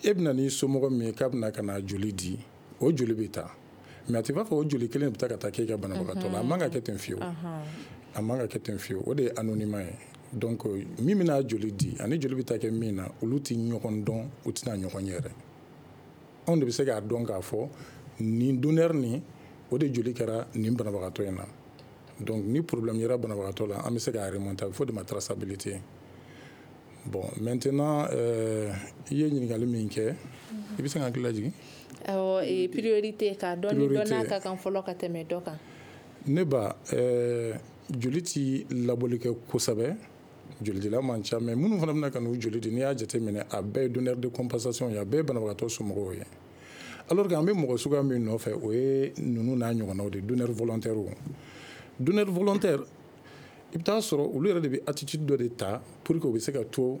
E bɛna n'i somɔgɔ min ye k'a bɛna ka na joli di, o joli bɛ taa, mais a tɛ b'a fɔ o joli kelen bɛ taa ka taa k'e ka banabagatɔ la. A man ka kɛ ten fiyewu, a man ka kɛ ten fiyewu. O de ye anonymat ye. Donc min bɛna joli di ani joli bɛ taa kɛ min na, olu tɛ ɲɔgɔn dɔn, u tɛna ɲɔgɔn ye yɛrɛ. Anw de bɛ se k'a dɔn k'a fɔ nin donneur nin, o de joli kɛra nin banabagatɔ in na. Donc ni problème yera banabagatɔ la, an bɛ se k'a remonter, a bɛ fɔ o de ma traçabilité. Bon, maintenant, euh, i ye ɲininkali min kɛ, i bɛ se ka hakili lajigin? Awɔ, priorité, k'a dɔn ni dɔ n'a ka kan fɔlɔ ka tɛmɛ dɔ kan. Ne ba, euh, joli ti labɔli kɛ kosɛbɛ, jolidila man ca, mais minnu fana bɛna ka n'u joli di, n'i y'a jateminɛ, a bɛɛ ye donneur de compensation ye, a bɛɛ ye banabagatɔ somɔgɔw ye. Alors que an bɛ mɔgɔ suguya min nɔfɛ, o ye ninnu n'a ɲɔgɔnnaw de, donneur volontaire. Donneur volontaire, i bɛ taa sɔrɔ olu yɛrɛ de bɛ attitude dɔ de ta pour que u bɛ se ka to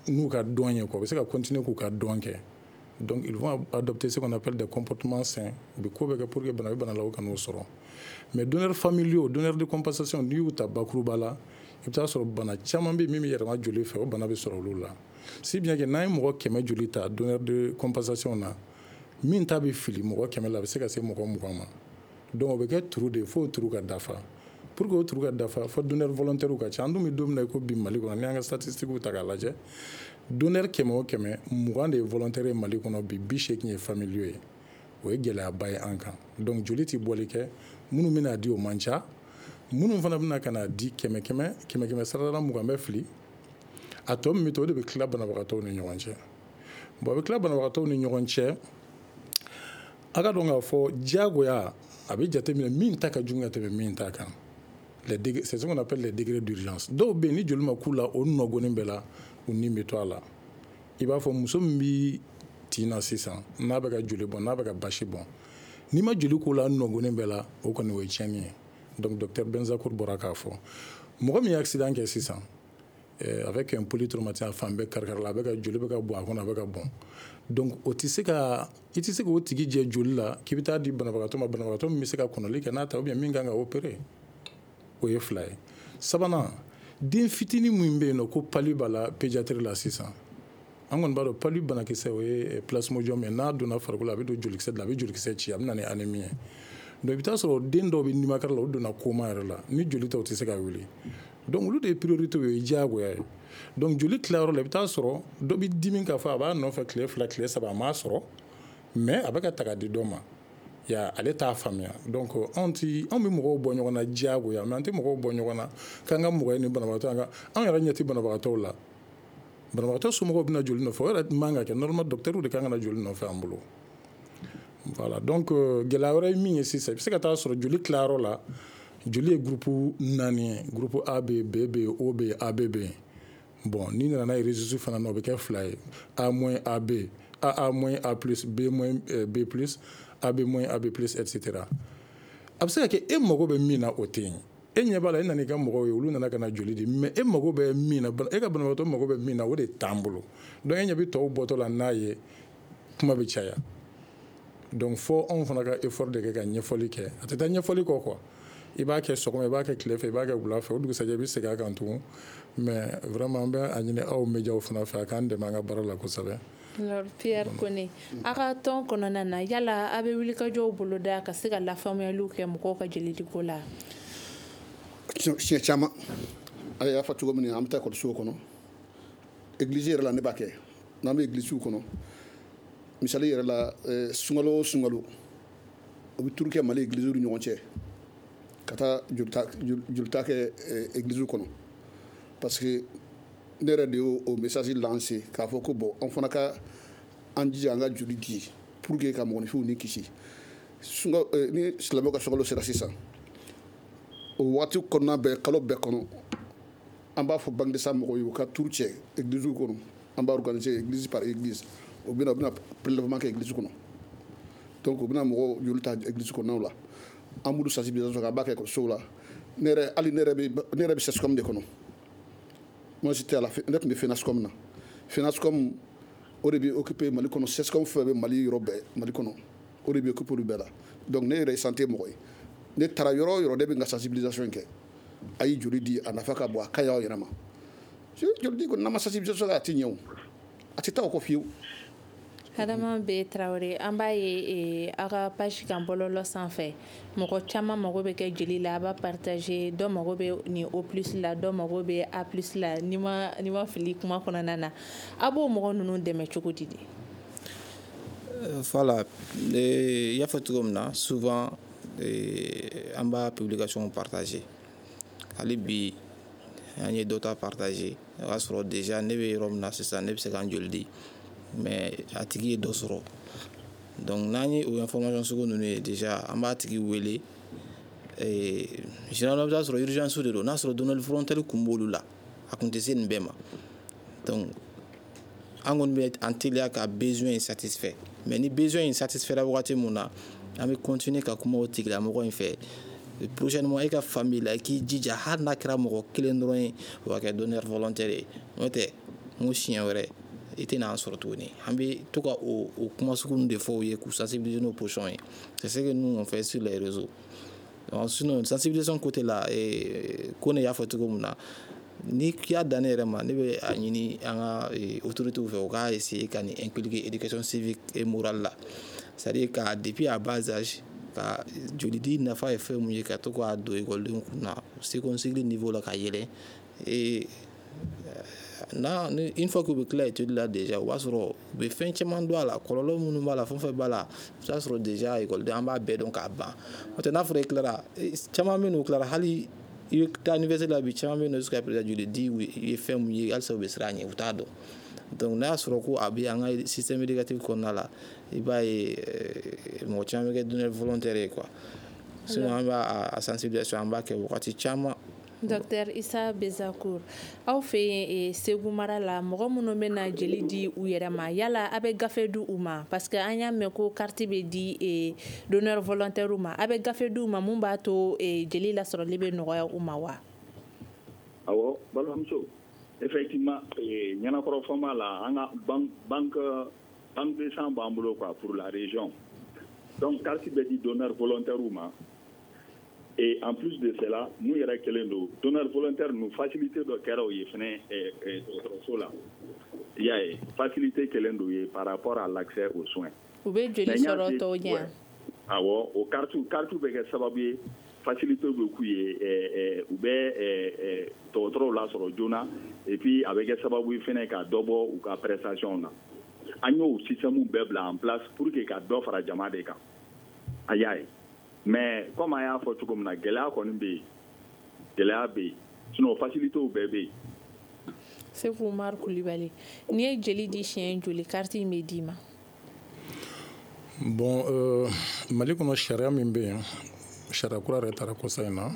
n'u ka dɔn ye quoi, u bɛ se ka continuer k'u ka dɔn kɛ. Donc ils vont adopter ce qu'on appelle des comportements sains. U bɛ ko bɛɛ kɛ pour que bana bɛ bana la, u kan'o sɔrɔ. Mais donneurs familiaux, donneurs de compensation, n'i y'u ta bakuruba la, i bɛ taa sɔrɔ bana caman bɛ min bɛ yɛlɛma joli fɛ, o bana bɛ sɔrɔ olu la. Si bien que n'an ye mɔgɔ kɛmɛ joli ta donneur de compensation na, min ta bɛ fili mɔgɔ kɛmɛ la, a bɛ se ka se mɔgɔ mugan ma. Donc o bɛ kɛ trou de ye fo o trou ka dafa. Pour que o trou ka dafa, fo donneur volontaire ka ca. An dun bɛ don min na i ko bi, Mali kɔnɔ, n'i y'an ka statistiques ta k'a lajɛ, donneur kɛmɛ o kɛmɛ, mugan de ye volontaire ye Mali kɔnɔ bi, bi seegin ye familiaux ye. O ye gɛlɛyaba ye an kan. Donc joli tɛ bɔli kɛ, minnu bɛna di, o man ca. Minnu fana bɛna ka na di, kɛmɛ kɛmɛ kɛmɛ kɛmɛ sarada, mugan bɛ fili. A tɔ min bɛ to, o de bɛ tila banabagatɔw ni ɲɔgɔn cɛ. Bon, a bɛ tila banabagatɔw ni ɲɔgɔn cɛ. A ka dɔn k'a fɔ diyagoya a bɛ jateminɛ min ta ka jugu ka tɛmɛ min ta kan. Les c'est ce qu'on appelle les degrés d'urgence. Dɔw bɛ yen, ni joli ma k'u la, o nɔgɔnin bɛɛ la, u ni bɛ to a la. I b'a fɔ muso min bɛ tin na sisan, n'a bɛ ka joli bɔn, n'a bɛ ka basi bɔn, n'i ma joli k'o la nɔgɔnin bɛɛ la, o kɔni o ye tiɲɛni ye. Donc docteur Benzakour bɔra k'a fɔ, mɔgɔ min ye accident kɛ sisan avec un polytraumatisme, a fan bɛɛ kari-kari la, a bɛ ka joli bɛ ka bɔn a kɔnɔ, a bɛ ka bɔn. Donc o tɛ se ka, i tɛ se k'o tigi jɛ joli la k'i bɛ taa di banabagatɔ ma, banabagatɔ min bɛ se ka kɔnɔli kɛ n'a ta, ou bien min kan ka opérer. O ye fila ye. Sabanan, den fitinin min bɛ yen nɔ ko palu b'a la, pédiatrie la sisan, an kɔni b'a dɔn palu banakisɛ, o ye plasmodium ye. N'a donna farikolo la, a bɛ don jolikisɛ de la, a bɛ jolikisɛ ci, a bɛ na ni anémie ye. Donc i bɛ taa sɔrɔ den dɔw bɛ nimakara la, u donna coma yɛrɛ la, ni joli tɛ, u tɛ se ka wuli. Donc olu de ye priorité ye, o ye diyagoya ye. Donc joli tilayɔrɔ la, i bɛ taa sɔrɔ dɔ bɛ dimi k'a fɔ a b'a nɔfɛ tile fila, tile saba, a m'a sɔrɔ, mais a bɛ ka ta ka di dɔ ma ya, ale t'a faamuya. Donc anw ti, anw bɛ mɔgɔw bɔ ɲɔgɔn na diyagoya, mais an tɛ mɔgɔw bɔ ɲɔgɔn na k'an ka mɔgɔ ye ni banabagatɔ, an ka anw yɛrɛ ɲɛ tɛ banabagatɔw la. Banabagatɔ somɔgɔw bɛna joli nɔfɛ, o yɛrɛ man ka kɛ. Normalement, docteur de kan ka na joli nɔfɛ an bolo. Voilà. Donc gɛlɛya wɛrɛ ye min ye sisan, i bɛ se ka taa sɔrɔ joli tilayɔrɔ la, joli ye groupe naani ye: groupe A bɛ yen, B bɛ yen, O bɛ yen, A B bɛ yen. Bon, n'i nana n'a ye rhésus fana na, o bɛ kɛ fila ye: A moins A B, A A moins A plus, B moins B plus, A B moins A B plus, et cetera. A bɛ se ka kɛ e mago bɛ min na, o tɛ yen. E ɲɛ b'a la, e nana i ka mɔgɔw ye, olu nana ka na joli di, mais e mago bɛ min na, e ka banabagatɔ mago bɛ min na, o de t'an bolo. Donc e ɲɛ bɛ tɔw bɔtɔ la n'a ye, kuma bɛ caya. Donc fo anw fana ka effort de kɛ ka ɲɛfɔli kɛ. A tɛ taa ɲɛfɔli kɔ quoi. I b'a kɛ sɔgɔma, i b'a kɛ tile fɛ, i b'a kɛ wula fɛ, o dugusajɛ i bɛ segin a kan tugun. Mais vraiment, an bɛ a ɲini aw médiaw fana fɛ, a k'an dɛmɛ an ka baara la kosɛbɛ. Alors Pierre Kone, a ka tɔn kɔnɔna na, yala a bɛ wulikajɔw boloda ka se ka lafaamuyaliw kɛ mɔgɔw ka jelidiko la? Siɲɛ caman, a y'a fɔ cogo min na, an bɛ taa ekɔlisow kɔnɔ, église yɛrɛ la, ne b'a kɛ. N'an bɛ église kɔnɔ, misali yɛrɛ la, sunkalo o sunkalo, o bɛ tour kɛ Mali église ni ɲɔgɔn cɛ ka taa jolita jolita kɛ église kɔnɔ, parce que ne yɛrɛ de y'o o message lancé k'a fɔ ko bon, an fana ka an jija an ka joli di pour que ka mɔgɔninfinw ni kisi. Sunka ni silamɛw ka sunkalo sera sisan, o waati kɔnɔna bɛɛ, kalo bɛɛ kɔnɔ, an b'a fɔ banque de sang mɔgɔw ye u ka tour cɛ église kɔnɔ. An b'a organiser église par église. U bɛna u bɛna prélèvement kɛ église kɔnɔ. Donc u bɛna mɔgɔw joli ta église kɔnɔnaw la. An b'olu sensibilisation kɛ, an b'a kɛ ekɔlisow la. Ne yɛrɛ, hali ne yɛrɛ bɛ ne yɛrɛ bɛ C S C O M de kɔnɔ. Moi, j'étais à la, ne tun bɛ FENASCOM na. FENASCOM, o de bɛ occupé Mali kɔnɔ. C S C O M fɛn bɛ Mali yɔrɔ bɛɛ, Mali kɔnɔ, o de bɛ occupé olu bɛɛ la. Donc ne yɛrɛ ye santé mɔgɔ ye. Ne taara yɔrɔ o yɔrɔ, ne bɛ n ka sensibilisation kɛ: a ye joli di, a nafa ka bon, a ka ɲi aw yɛrɛ ma. Joli di kɔni, n'an ma sensibilisation kɛ, a tɛ ɲɛ o, a tɛ taa o kɔ fiyewu. Adama B Tarawele, an b'a ye aw ka page kan bɔlɔlɔ sanfɛ, mɔgɔ caman mago bɛ kɛ joli la, a b'a partager. Dɔ mago bɛ nin O plus la, dɔ mago bɛ A plus la, ni ma ni ma fili kuma kɔnɔna na. A b'o mɔgɔ ninnu dɛmɛ cogo di de? Voilà, i y'a fɔ cogo min na, souvent an b'a publication partager. Hali bi an ye dɔ ta partager, o y'a sɔrɔ déjà ne bɛ yɔrɔ min na sisan, ne bɛ se ka n joli di, mais a tigi ye dɔ sɔrɔ. Donc n'an ye o information sugu ninnu ye, déjà an b'a tigi wele. Généralement, i bɛ taa sɔrɔ urgence de don. N'a sɔrɔ donneur volontaire kun b'olu la, a kun tɛ se nin bɛɛ ma. Donc An kɔni bɛ an teliya ka besoin in satisfait, mais ni besoin in satisfaira wagati mun na, an bɛ continuer ka kuma o tigilamɔgɔ in fɛ. Prochainement, e ka famille la, i k'i jija, hali n'a kɛra mɔgɔ kelen dɔrɔn ye, o ka kɛ donneur volontaire ye. N'o tɛ, n ko siɲɛ wɛrɛ i tɛna an sɔrɔ tuguni. An bɛ to ka o o kuma sugu ninnu de fɔ u ye, k'u sensibiliser n'o position ye. C'est ce que nous on fait sur les réseaux. Donc, sinon, sensibilisation côté la, ko ne y'a fɔ cogo min na, ni y'a dan ne yɛrɛ ma, ne bɛ a ɲini an ka autorités fɛ, u k'a essayer ka nin inculquer éducation civique et morale la, c'est-à-dire ka depuis à bas âge, ka jolidi nafa ye fɛn mun ye, ka to k'a don ekɔlidenw kun na second cycle niveau la ka yɛlɛ. Et n'a une fois k'u bɛ tila étude la déjà, o b'a sɔrɔ u bɛ fɛn caman dɔn a la, kɔlɔlɔ minnu b'a la, fɛn fɛn b'a la, i bɛ taa sɔrɔ déjà ekɔliden an b'a bɛɛ dɔn k'a ban. N'o tɛ, n'a fɔra i tilara, caman bɛ yen nɔ, u tilara, hali i bɛ taa université la bi, caman bɛ yen nɔ, jusqu'à présent, joli di ye fɛn mun ye, halisa u bɛ siran a ɲɛ, u t'a dɔn. Donc n'a y'a sɔrɔ ko a bɛ an ka système éducatif kɔnɔna la, i b'a ye mɔgɔ caman bɛ kɛ donneur volontaire ye quoi. Sinon, an b'a a sensibilisation, an b'a kɛ wagati caman. Docteur Issa Bezakour, aw fɛ yen Segu mara la, mɔgɔ minnu bɛna jeli di u yɛrɛ ma, yala a bɛ gafe di u ma? Parce que an y'a mɛn ko carte bɛ di donneur volontaire ma, a bɛ gafe di u ma mun b'a to jeli lasɔrɔli bɛ nɔgɔya u ma wa? Awɔ, balimamuso, effectivement, ɲɛnakɔrɔ fama la, an ka banque banque de sang b'an bolo quoi, pour la région. Donc carte bɛ di donneur volontaire ma. Et en plus de cela, mun yɛrɛ kɛlen don, donneur volontaire ninnu, facilité dɔ kɛra o ye fɛnɛ dɔgɔtɔrɔso la. I y'a ye, facilité kɛlen don ye par rapport à l'accès aux soins. U bɛ joli sɔrɔ tɔw ɲɛ. Awɔ, o carte carte bɛ kɛ sababu ye, facilité bɛ k'u ye, u bɛ dɔgɔtɔrɔw lasɔrɔ joona, et puis a bɛ kɛ sababu ye fɛnɛ ka dɔ bɔ u ka prestation na. An y'o système bɛɛ bila en place pour que ka dɔ fara jama de kan. A y'a ye. Mais comme an y'a fɔ cogo min na, gɛlɛya kɔni bɛ yen, gɛlɛya bɛ yen, sinon facilités bɛɛ bɛ yen. Seku Umar Kulibali, n'i ye jeli di siɲɛ joli, carte in bɛ d'i ma? Bon, euh, Mali kɔnɔ, sariya min bɛ yen, sariya kura yɛrɛ taara kɔsa in na,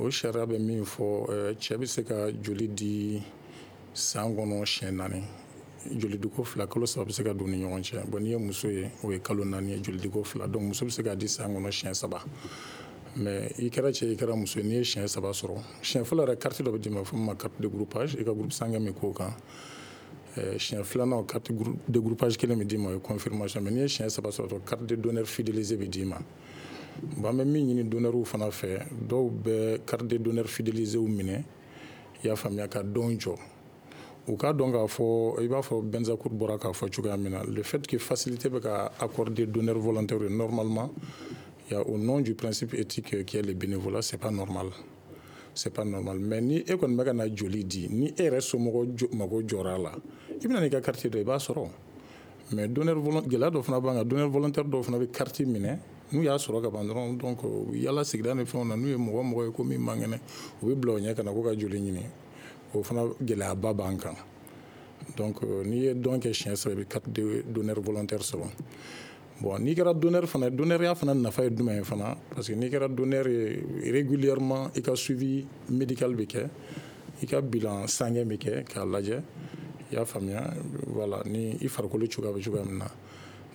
o sariya bɛ min fɔ, cɛ bɛ se ka joli di san kɔnɔ siɲɛ naani, jolidiko fila, kalo saba bɛ se ka don ni ɲɔgɔn cɛ. Bon, n'i ye muso ye, o ye kalo naani ye, jolidiko fila. Donc muso bɛ se k'a di san kɔnɔ siɲɛ saba. Mais i kɛra cɛ, i kɛra muso ye, n'i ye siɲɛ saba sɔrɔ, siɲɛ fɔlɔ yɛrɛ, carte dɔ bɛ d'i ma, fɔ min ma carte de groupage, i ka groupe sanguin bɛ k'o kan. Siɲɛ filanan, carte de groupage kelen bɛ d'i ma, o ye confirmation. Mais n'i ye siɲɛ saba sɔrɔ, carte de donneur fidélisé bɛ d'i ma. Bon, an bɛ min ɲini donneurw fana fɛ, dɔw bɛ carte de donneur fidélisé minɛ, i y'a faamuya, ka dɔn jɔ. U k'a dɔn k'a fɔ, i b'a fɔ Benzakour bɔra k'a fɔ cogoya min na, le fait que facilité bɛ ka accorder donneur volontaire normalement, il y a au nom du principe éthique qui est le bénévolat, c'est pas normal, c'est pas normal. Mais ni e kɔni bɛ ka na joli di, ni e yɛrɛ somɔgɔ mago jɔra a la, i bɛna n'i ka carte dɔ, i b'a sɔrɔ. Mais donneur volontaire, gɛlɛya dɔ fana b'an kan, donneur volontaire dɔw fana bɛ carte minɛ, n'u y'a sɔrɔ ka ban dɔrɔn, donc yala sigida ni fɛnw na, n'u ye mɔgɔ mɔgɔ ye ko min man kɛnɛ, u bɛ bila o ɲɛ ka na ko ka joli ɲini. O fana gɛlɛyaba b'an kan. Donc n'i ye dɔn kɛ siɲɛ saba, i bɛ carte de donneur volontaire sɔrɔ. Bon, n'i kɛra donneur fana, donneurya fana nafa ye jumɛn ye fana? Parce que n'i kɛra donneur ye, régulièrement i ka suivi médical bɛ kɛ, i ka bilan sanguin bɛ kɛ k'a lajɛ, i y'a faamuya, voilà, ni i farikolo cogoya bɛ cogoya min na,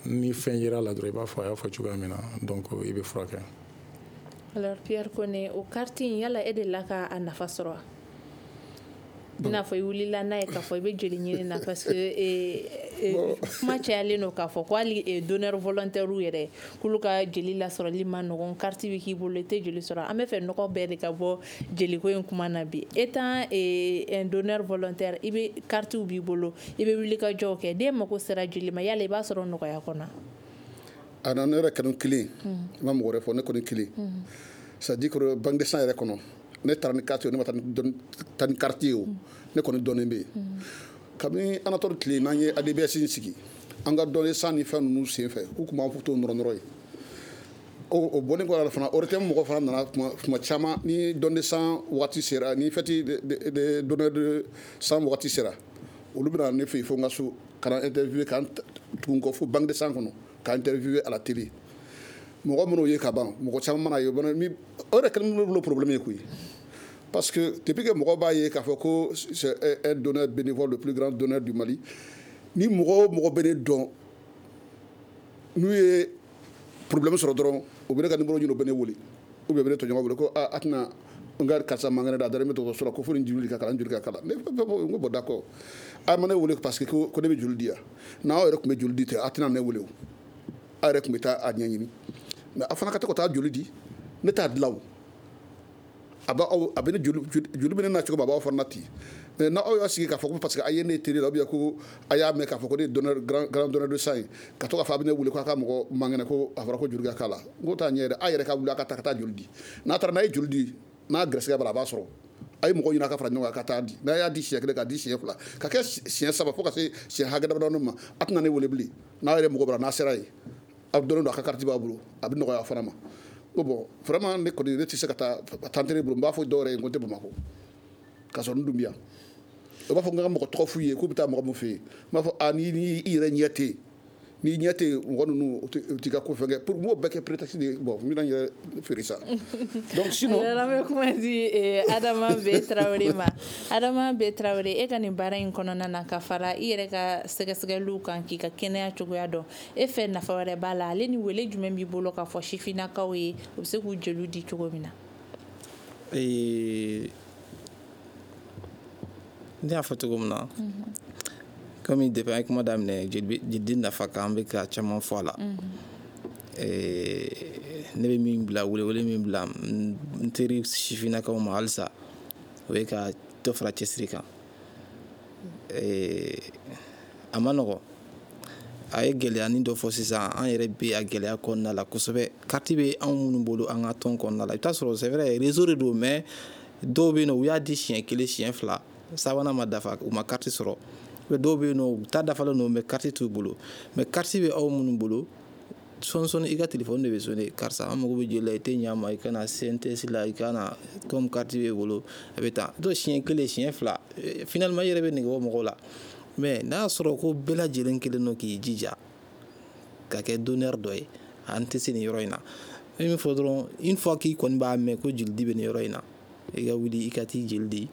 ni fɛn yera la dɔrɔn, i b'a fɔ a y'a fɔ cogoya min na, donc i bɛ furakɛ. Alors Pierre Kone, o carte in, yala e delila ka a nafa sɔrɔ wa? I n'a fɔ i wulila n'a ye k'a fɔ i bɛ joli ɲini na, parce que kuma cayalen don k'a fɔ ko hali donneur volontaire yɛrɛ, k'olu ka jeli lasɔrɔli ma nɔgɔn, carte bɛ k'i bolo, i tɛ joli sɔrɔ. An bɛ fɛ nɔgɔ bɛɛ de ka bɔ jeliko in kuma na bi. Étant un donneur volontaire, i bɛ carte b'i bolo, i bɛ wuli ka jɔw kɛ, den mako sera joli ma, yala i b'a sɔrɔ nɔgɔya kɔnɔ? A na ne yɛrɛ kanu kelen, n ma mɔgɔ wɛrɛ fɔ, ne kɔni kelen, c'est à dire que banque de sang yɛrɛ kɔnɔ, ne taara ni carte ye, ne ma taa ni carte ye, o ne kɔni dɔnnen bɛ yen kabini Anatole tile. N'an ye A D B S in sigi, an ka dɔnni san ni fɛn ninnu sen fɛ, u tun b'an to nɔrɔ nɔrɔ ye. O bɔlen kɔ a la fana, O R T M mɔgɔ fana nana tuma caman. Ni don de sang waati sera, ni fête de donneur de sang waati sera, olu bɛna ne fɛ yen fo n ka so ka na interviewer, k'an tugu n kɔ fo banque de sang kɔnɔ k'an interviewer à la télé. Mɔgɔ minnu ye ka ban, mɔgɔ caman mana ye, o yɛrɛ kɛlen bolo problème ye koyi. Parce que depuis que mɔgɔw b'a ye k'a fɔ ko c'est un donneur bénévole, le plus grand donneur du Mali, ni mɔgɔ o mɔgɔ bɛ ne dɔn, n'u ye problème sɔrɔ dɔrɔn, u bɛ ne ka numéro ɲini, u bɛ ne wele, ou bien u bɛ ne tɔɲɔgɔn wele ko aa a tɛna n ka karisa man kɛnɛ dɛ, a dalen bɛ dɔgɔtɔrɔso la, ko fo nin joli ka kala, n joli ka kala. Ne ko n ko bon, d'accord, a ma ne wele parce que ko ne bɛ joli di yan. N'aw yɛrɛ tun bɛ joli di ten, a tɛna ne wele o, aw yɛrɛ tun bɛ taa a ɲɛɲini. Mais a fana ka to ka taa joli di, ne t'a dilan o, a b'aw a bɛ ne joli joli bɛ ne na cogo min, a b'aw fana na ten. Mais n'aw y'a sigi k'a fɔ ko parce que a ye ne télé la, ou bien ko a y'a mɛn k'a fɔ ko ne ye donneur, grand grand donneur de sang ye, ka to k'a fɔ a bɛ ne wele ko a ka mɔgɔ man kɛnɛ, ko a fɔra ko joli ka k'a la, n ko t'a ɲɛ dɛ. A yɛrɛ ka wuli a ka taa ka taa joli di. N'a taara, n'a ye joli di, n'a gɛrɛsɛgɛ b'a la, a b'a sɔrɔ. A ye mɔgɔ ɲini a ka fara ɲɔgɔn kan ka taa di. N'a y'a di siɲɛ kelen, k'a di siɲɛ fila, ka kɛ siɲɛ saba, fo ka se siɲɛ hakɛ damadɔni ma, a tɛna ne wele bilen. N'a yɛrɛ mɔgɔ b'a la, n'a sera yen, a dɔnnen don, a ka carte b'a bolo, a bɛ nɔgɔya a fana ma. Ko bon, vraiment, ne kɔni ne tɛ se ka taa tan tɛ ne bolo. N b'a fɔ dɔw yɛrɛ ye ko n tɛ Bamakɔ, k'a sɔrɔ n dun bɛ yan. O b'a fɔ n ka mɔgɔ tɔgɔ f'u ye k'u bɛ taa mɔgɔ min fɛ yen, n b'a fɔ a ni ni i yɛrɛ ɲɛ tɛ yen, n'i ɲɛ tɛ mɔgɔ ninnu, o t'i ka ko fɛn kɛ pour m'o bɛɛ kɛ prétexte de ye. Bon, n bɛna n yɛrɛ feere sa. Donc sinon, an bɛ kuma di Adama B Tarawele ma. Adama B Tarawele, e ka nin baara in kɔnɔna na, ka fara i yɛrɛ ka sɛgɛsɛgɛliw kan k'i ka kɛnɛya cogoya dɔn, e fɛ nafa wɛrɛ b'a la? Ale ni wele jumɛn b'i bolo k'a fɔ sifinnakaw ye, u bɛ se k'u jeliw di cogo min na? Ne y'a fɔ cogo min na, komi depuis an ye kuma daminɛ jeli nafa kan, an bɛ ka caman fɔ a la. Ne bɛ min bila, welewele min bila n teri sifinnakaw ma halisa, o ye ka dɔ fara cɛsiri kan. A ma nɔgɔn, a ye gɛlɛyanin dɔ fɔ sisan, an yɛrɛ bɛ a gɛlɛya kɔnɔna la kosɛbɛ. Carte bɛ anw minnu bolo an ka tɔn kɔnɔna la, i bɛ taa sɔrɔ c'est vrai, réseau de don, mais dɔw bɛ yen nɔ, u y'a di siɲɛ kelen, siɲɛ fila, sabanan ma dafa, u ma carte sɔrɔ. Dɔw bɛ yen nɔ, u ta dafalen don, mais carte t'u bolo. Mais carte bɛ aw minnu bolo, sɔɔni sɔɔni i ka téléphone de bɛ sonné, karisa an mago bɛ joli la, i tɛ ɲɛ ma, i ka na C N T S la, i ka na, comme carte b'e bolo, a bɛ taa. Donc siɲɛ kelen, siɲɛ fila, finalement i yɛrɛ bɛ nege bɔ mɔgɔw la. Mais n'a y'a sɔrɔ ko bɛɛ lajɛlen kelen don k'i jija ka kɛ donneur dɔ ye, an tɛ se nin yɔrɔ in na. N bɛ min fɔ dɔrɔn, une fois k'i kɔni b'a mɛn ko joli di bɛ nin yɔrɔ in na, i ka wuli i ka t'i joli di.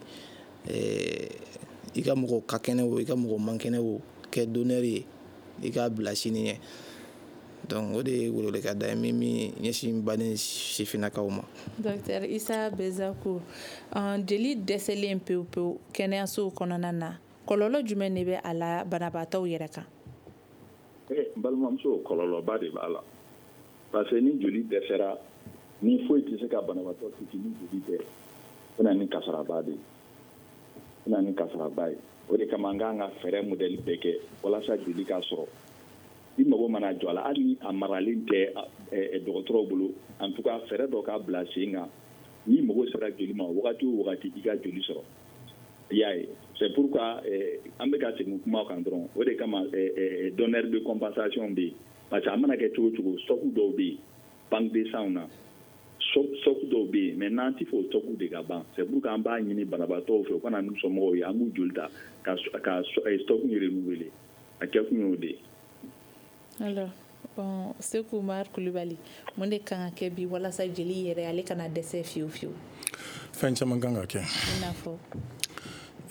I ka mɔgɔ ka kɛnɛ o, i ka mɔgɔ man kɛnɛ o, kɛ donneur ye, i k'a bila sini ɲɛ. Donc o de ye weleweleka da ye min min ɲɛsin baden sifinnakaw ma. Docteur Issa Bezakou, jeli dɛsɛlen pewu pewu kɛnɛyasow kɔnɔna na, kɔlɔlɔ jumɛn de bɛ a la banabaatɔw yɛrɛ kan? N balimamuso, kɔlɔlɔba de b'a la, parce que ni joli dɛsɛra, ni foyi tɛ se ka banabaatɔ kisi ni joli tɛ, o na ni kasaraba de ye. O na ni kasaraba ye. O de kama an k'an ka fɛɛrɛ modèle bɛɛ kɛ walasa joli ka sɔrɔ. I mago mana jɔ a la, hali ni a maralen tɛ dɔgɔtɔrɔw bolo, en tout cas fɛɛrɛ dɔ k'a bila sen kan, n'i mago sera joli ma wagati o wagati, i ka joli sɔrɔ. I y'a ye, c'est pourquoi an bɛ ka segin kuma kan dɔrɔn. O de kama donneur de compensation bɛ yen, parce que a mana kɛ cogo o cogo, stock dɔw bɛ yen banque de sang na, stock dɔw bɛ yen, mais n'an ti fɛ o stock de ka ban. C'est pourquoi an b'a ɲini banabaatɔw fɛ, u ka na n'u somɔgɔw ye, an b'u joli ta ka ka stock in renouveler. A kɛkun y'o de ye. Alors bon, Seku Umar Kulubali, mun de kan ka kɛ bi walasa jeli yɛrɛ ale kana dɛsɛ fiyewu fiyewu? Fɛn caman kan ka kɛ. I n'a fɔ?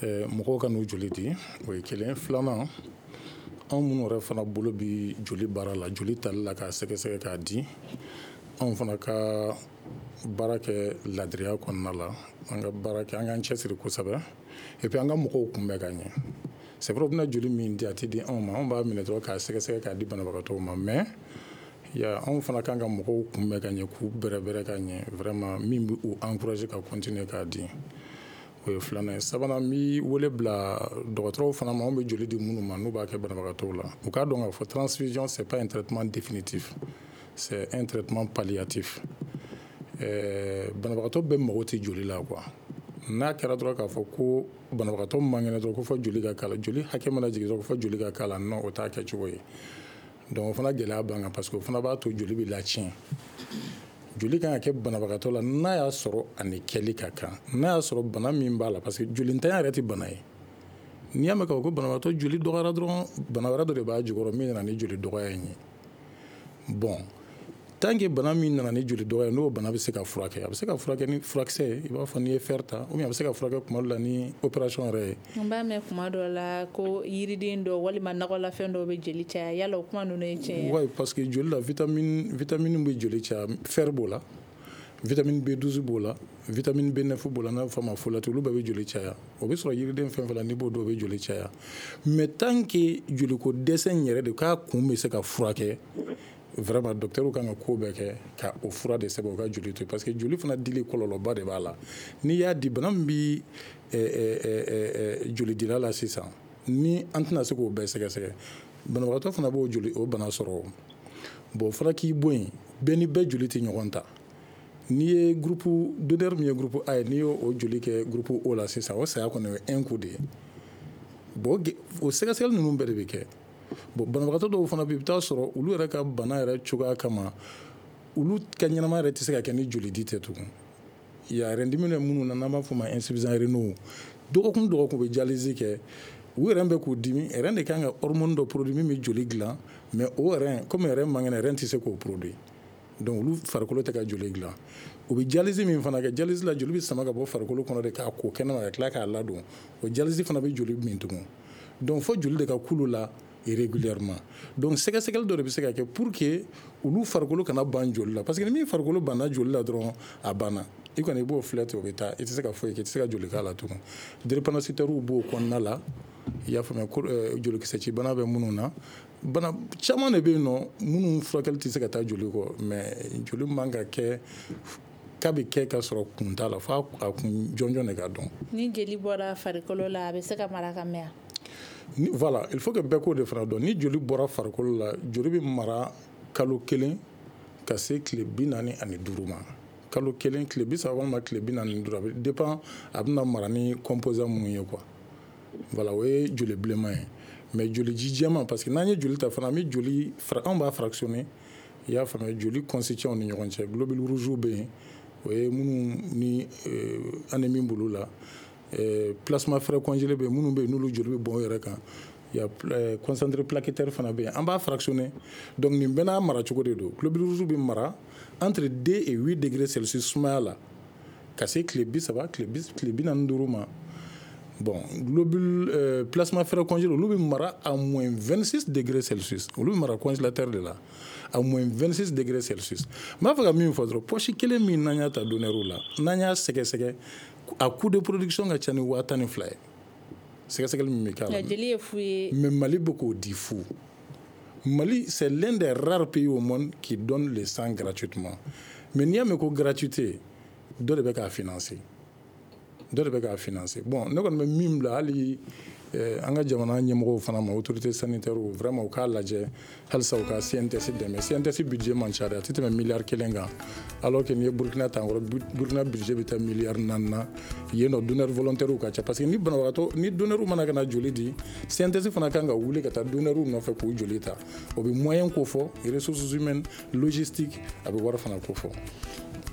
Mɔgɔw ka n'u joli di, o ye kelen. Filanan, anw minnu yɛrɛ fana bolo bi joli baara la, joli tali la k'a sɛgɛsɛgɛ k'a di, anw fana ka baara kɛ ladiriya kɔnɔna la, an ka baara kɛ, an k'an cɛsiri kosɛbɛ, et puis an ka mɔgɔw kunbɛn ka ɲɛ. C'est vrai, u bɛna joli min di, a tɛ di anw ma, anw b'a minɛ dɔrɔn k'a sɛgɛsɛgɛ k'a di banabagatɔw ma, mais ya anw fana kan ka mɔgɔw kunbɛn ka ɲɛ, k'u bɛrɛbɛrɛ ka ɲɛ, vraiment min bɛ u encourager ka continuer k'a di. O ye filanan ye. Sabanan, n bɛ wele bila dɔgɔtɔrɔw fana ma, anw bɛ joli di minnu ma n'u b'a kɛ banabagatɔw la, u k'a dɔn k'a fɔ transfusion, c'est pas un traitement définitif, c'est un traitement palliatif. Ɛɛ banabagatɔ bɛɛ mago tɛ joli la quoi. N'a kɛra dɔrɔn k'a fɔ ko banabagatɔ man kɛnɛ dɔrɔn ko fɔ joli ka k'a la, joli hakɛ mana jigin dɔrɔn ko fɔ joli ka k'a la, non, o t'a kɛcogo ye. Donc o fana gɛlɛya b'an kan, parce que o fana b'a to joli bɛ latiɲɛ. Joli kan ka kɛ banabagatɔ la n'a y'a sɔrɔ a ni kɛli ka kan, n'a y'a sɔrɔ bana min b'a la, parce que jolintanya yɛrɛ tɛ bana ye. N'i y'a mɛn k'a fɔ ko banabagatɔ joli dɔgɔyara dɔrɔn, bana wɛrɛ dɔ de b'a jukɔrɔ min nana ni joli dɔgɔya in ye. Bon, Tant que bana min nana ni joli dɔgɔya, n'o bana bɛ se ka furakɛ, a bɛ se ka furakɛ ni furakisɛ ye, i b'a fɔ n'i ye fer ta, ou bien a bɛ se ka furakɛ kuma dɔ la ni opération yɛrɛ ye. N b'a mɛn kuma dɔ la ko yiriden dɔ walima nakɔlafɛn dɔw bɛ jeli caya, yala o kuma ninnu ye tiɲɛ ye? Oui, parce que joli la, vitamine vitamine bɛ joli caya, fer b'o la, vitamine B douze b'o la, vitamine B neuf b'o la, n'a bɛ fɔ a ma folate, olu bɛɛ bɛ joli caya. O bɛ sɔrɔ yiriden fɛn fɛn la, n'i b'o dɔn, o bɛ joli caya. Mais tant que joliko dɛsɛ in yɛrɛ de k'a kun bɛ se ka furakɛ, vraiment docteur kan ka ko bɛɛ kɛ ka o fura de sɛbɛn o ka joli to, parce que joli fana dili kɔlɔlɔba de b'a la. N'i y'a di, bana min bi jolidila la sisan, ni an tɛna se k'o bɛɛ sɛgɛsɛgɛ, banabagatɔ fana b'o joli o bana sɔrɔ. Bon, o fana k'i bɔ yen, bɛɛ ni bɛɛ joli tɛ ɲɔgɔn ta. N'i ye groupe donneur min ye groupe A ye, n'i y'o joli kɛ groupe O la sisan, o saya kɔni o ye un coup de ye. Bon, o sɛgɛsɛgɛli ninnu bɛɛ de bɛ kɛ. Bon, banabagatɔ dɔw fana bɛ yen, i bɛ taa sɔrɔ olu yɛrɛ ka bana yɛrɛ cogoya kama, olu ka ɲɛnamaya yɛrɛ tɛ se ka kɛ ni joli di tɛ tugun. Ya rein-dimi bɛ minnu na, n'an b'a fɔ o ma insuffisant rénaux, dɔgɔkun dɔgɔkun u bɛ dialyse kɛ, u yɛrɛ bɛ k'u dimi, rein de kan ka hormone dɔ produit min bɛ joli dilan, mais o rein, comme rein man kɛnɛ, rein tɛ se k'o produit, donc olu farikolo tɛ ka joli dilan. U bɛ dialyse min fana kɛ, dialyse la, joli bɛ sama ka bɔ farikolo kɔnɔ de k'a ko kɛnɛma ka tila k'a ladon, o dialyse fana bɛ joli min tugun. Donc fo joli de ka k'olu la régulièrement. Donc sɛgɛsɛgɛli dɔ de bɛ se ka kɛ pour que olu farikolo kana ban joli la, parce que ni min farikolo banna joli la dɔrɔn, a banna, i kɔni i b'o filɛ ten, o bɛ taa, i tɛ se ka foyi kɛ, i tɛ se ka joli k'a la tugun. Drépanocytaires b'o kɔnɔna la, i y'a faamuya, jolikisɛ bana bɛ minnu na, bana caman de bɛ yen nɔ minnu furakɛli tɛ se ka taa joli kɔ. Mais joli man ka kɛ k'a bɛ kɛ ka sɔrɔ kun t'a la, f'a a kun jɔnjɔn de ka dɔn. Ni joli bɔra farikolo la, a bɛ se ka mara ka mɛn? Voilà, il faut que bɛɛ k'o de fana dɔn. Ni joli bɔra farikolo la, joli bɛ mara kalo kelen ka se tile bi naani ani duuru ma. Kalo kelen, tile bi saba walima tile bi naani ni duuru, a bɛ dépend a bɛna mara ni composant minnu ye quoi. Voilà, o ye joli bilenman ye. Mais joli ji jɛman, parce que n'an ye joli ta fana, an bɛ joli, anw b'a fractionner, i y'a faamuya, joli constituants ni ɲɔgɔn cɛ. Globules rouges bɛ yen, o ye minnu ni anémie b'olu la. Plasma frais congelé bɛ yen, minnu bɛ yen n'olu joli bɛ bɔn u yɛrɛ kan. Il y a concentré plaquettaire fana bɛ yen, an b'a fractionner. Donc nin bɛɛ n'a mara cogo de don. Globules rouges bɛ mara entre deux et huit degrés Celsius sumaya la, ka se tile bi saba, tile bi naani duuru ma. Bon, globule euh, plasma frais congelé, olu bɛ mara à moins vingt-six degrés Celsius, olu bɛ mara congélateur de la à moins vingt-six degrés Celsius. N b'a fɛ ka min fɔ dɔrɔn, poche kelen min n'an y'a ta donneur la, n'an y'a sɛgɛsɛgɛ, a coût de production ka ca ni waa tan ni fila ye, sɛgɛsɛgɛli min bɛ k'a la. Jeli ye fu ye. Mais Mali bɛ k'o di fu. Mali, c'est l'un des rares pays au monde qui donne le sang gratuitement. Mais n'i y'a mɛn ko gratuité, dɔ de bɛ k'a financer, dɔ de bɛ k'a financer. Bon, ne kɔni bɛ min bila hali an ka jamana ɲɛmɔgɔw fana ma, autorité sanitaire, vraiment u k'a lajɛ halisa u ka C N T S dɛmɛ. C N T S budget man ca dɛ, a tɛ tɛmɛ miliyari kelen kan, alors que n'i ye Burkina ta kɔrɔ, Burkina budget bɛ taa miliyari naani na. Yen nɔ, donneur volontaire ka ca, parce que ni banabagatɔ ni donneur mana ka na joli di, C N T S fana kan ka wuli ka taa donneur nɔfɛ k'u joli ta. O bɛ moyen ko fɔ, ressources humaines, logistique, a bɛ wari fana ko fɔ.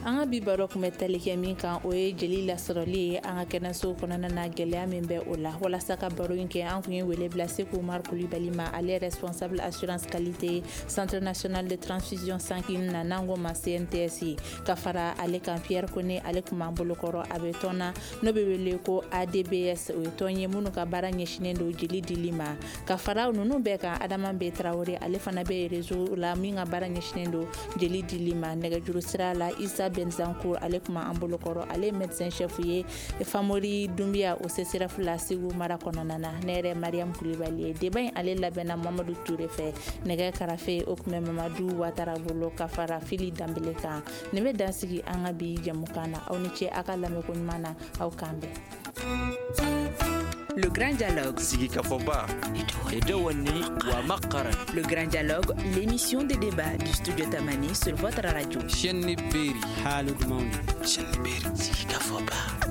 An ka bi baro tun bɛ tali kɛ min kan, o ye jeli lasɔrɔli ye an ka kɛnɛsow kɔnɔna na, gɛlɛya min bɛ o la. Walasa ka baro in kɛ, an tun ye wele bila Seku Umar Kulibali ma, ale responsable assurance qualité Centre national de transfusion sanguine na, n'an ko ma C N T S ye. Ka fara ale kan, Pierre Kone, ale tun b'an bolokɔrɔ, a bɛ tɔn na n'o bɛ wele ko A D B S, o ye tɔn ye minnu ka baara ɲɛsinnen don jeli dili ma. Ka fara ninnu bɛɛ kan, Adama B Tarawele, ale fana bɛ réseau la min ka baara ɲɛsinnen don jeli dili ma. Nɛgɛjuru sira la, Isa Benzancourt, ale tun b'an bolokɔrɔ, ale ye médecin chef ye Famori Dunbiya o C S R F la Segu mara kɔnɔna na. Ne yɛrɛ, Mariam Kulibali ye. Débat in ale labɛnna Mamadu Ture fɛ, nɛgɛ karafe o tun bɛ Mamadu Watara bolo, ka fara Fili Danbele kan. Nin bɛ dan sigi an ka bi jɛmukan na. Aw ni ce aw ka lamɛnko ɲuman na, aw k'an bɛn. Le Grand Dialogue. Sigikafɔba. Le Grand Dialogue, l'émission de débat du studio Tamani sur votre radio. Chaîne Beri. Chaîne Beri. Sigikafɔba.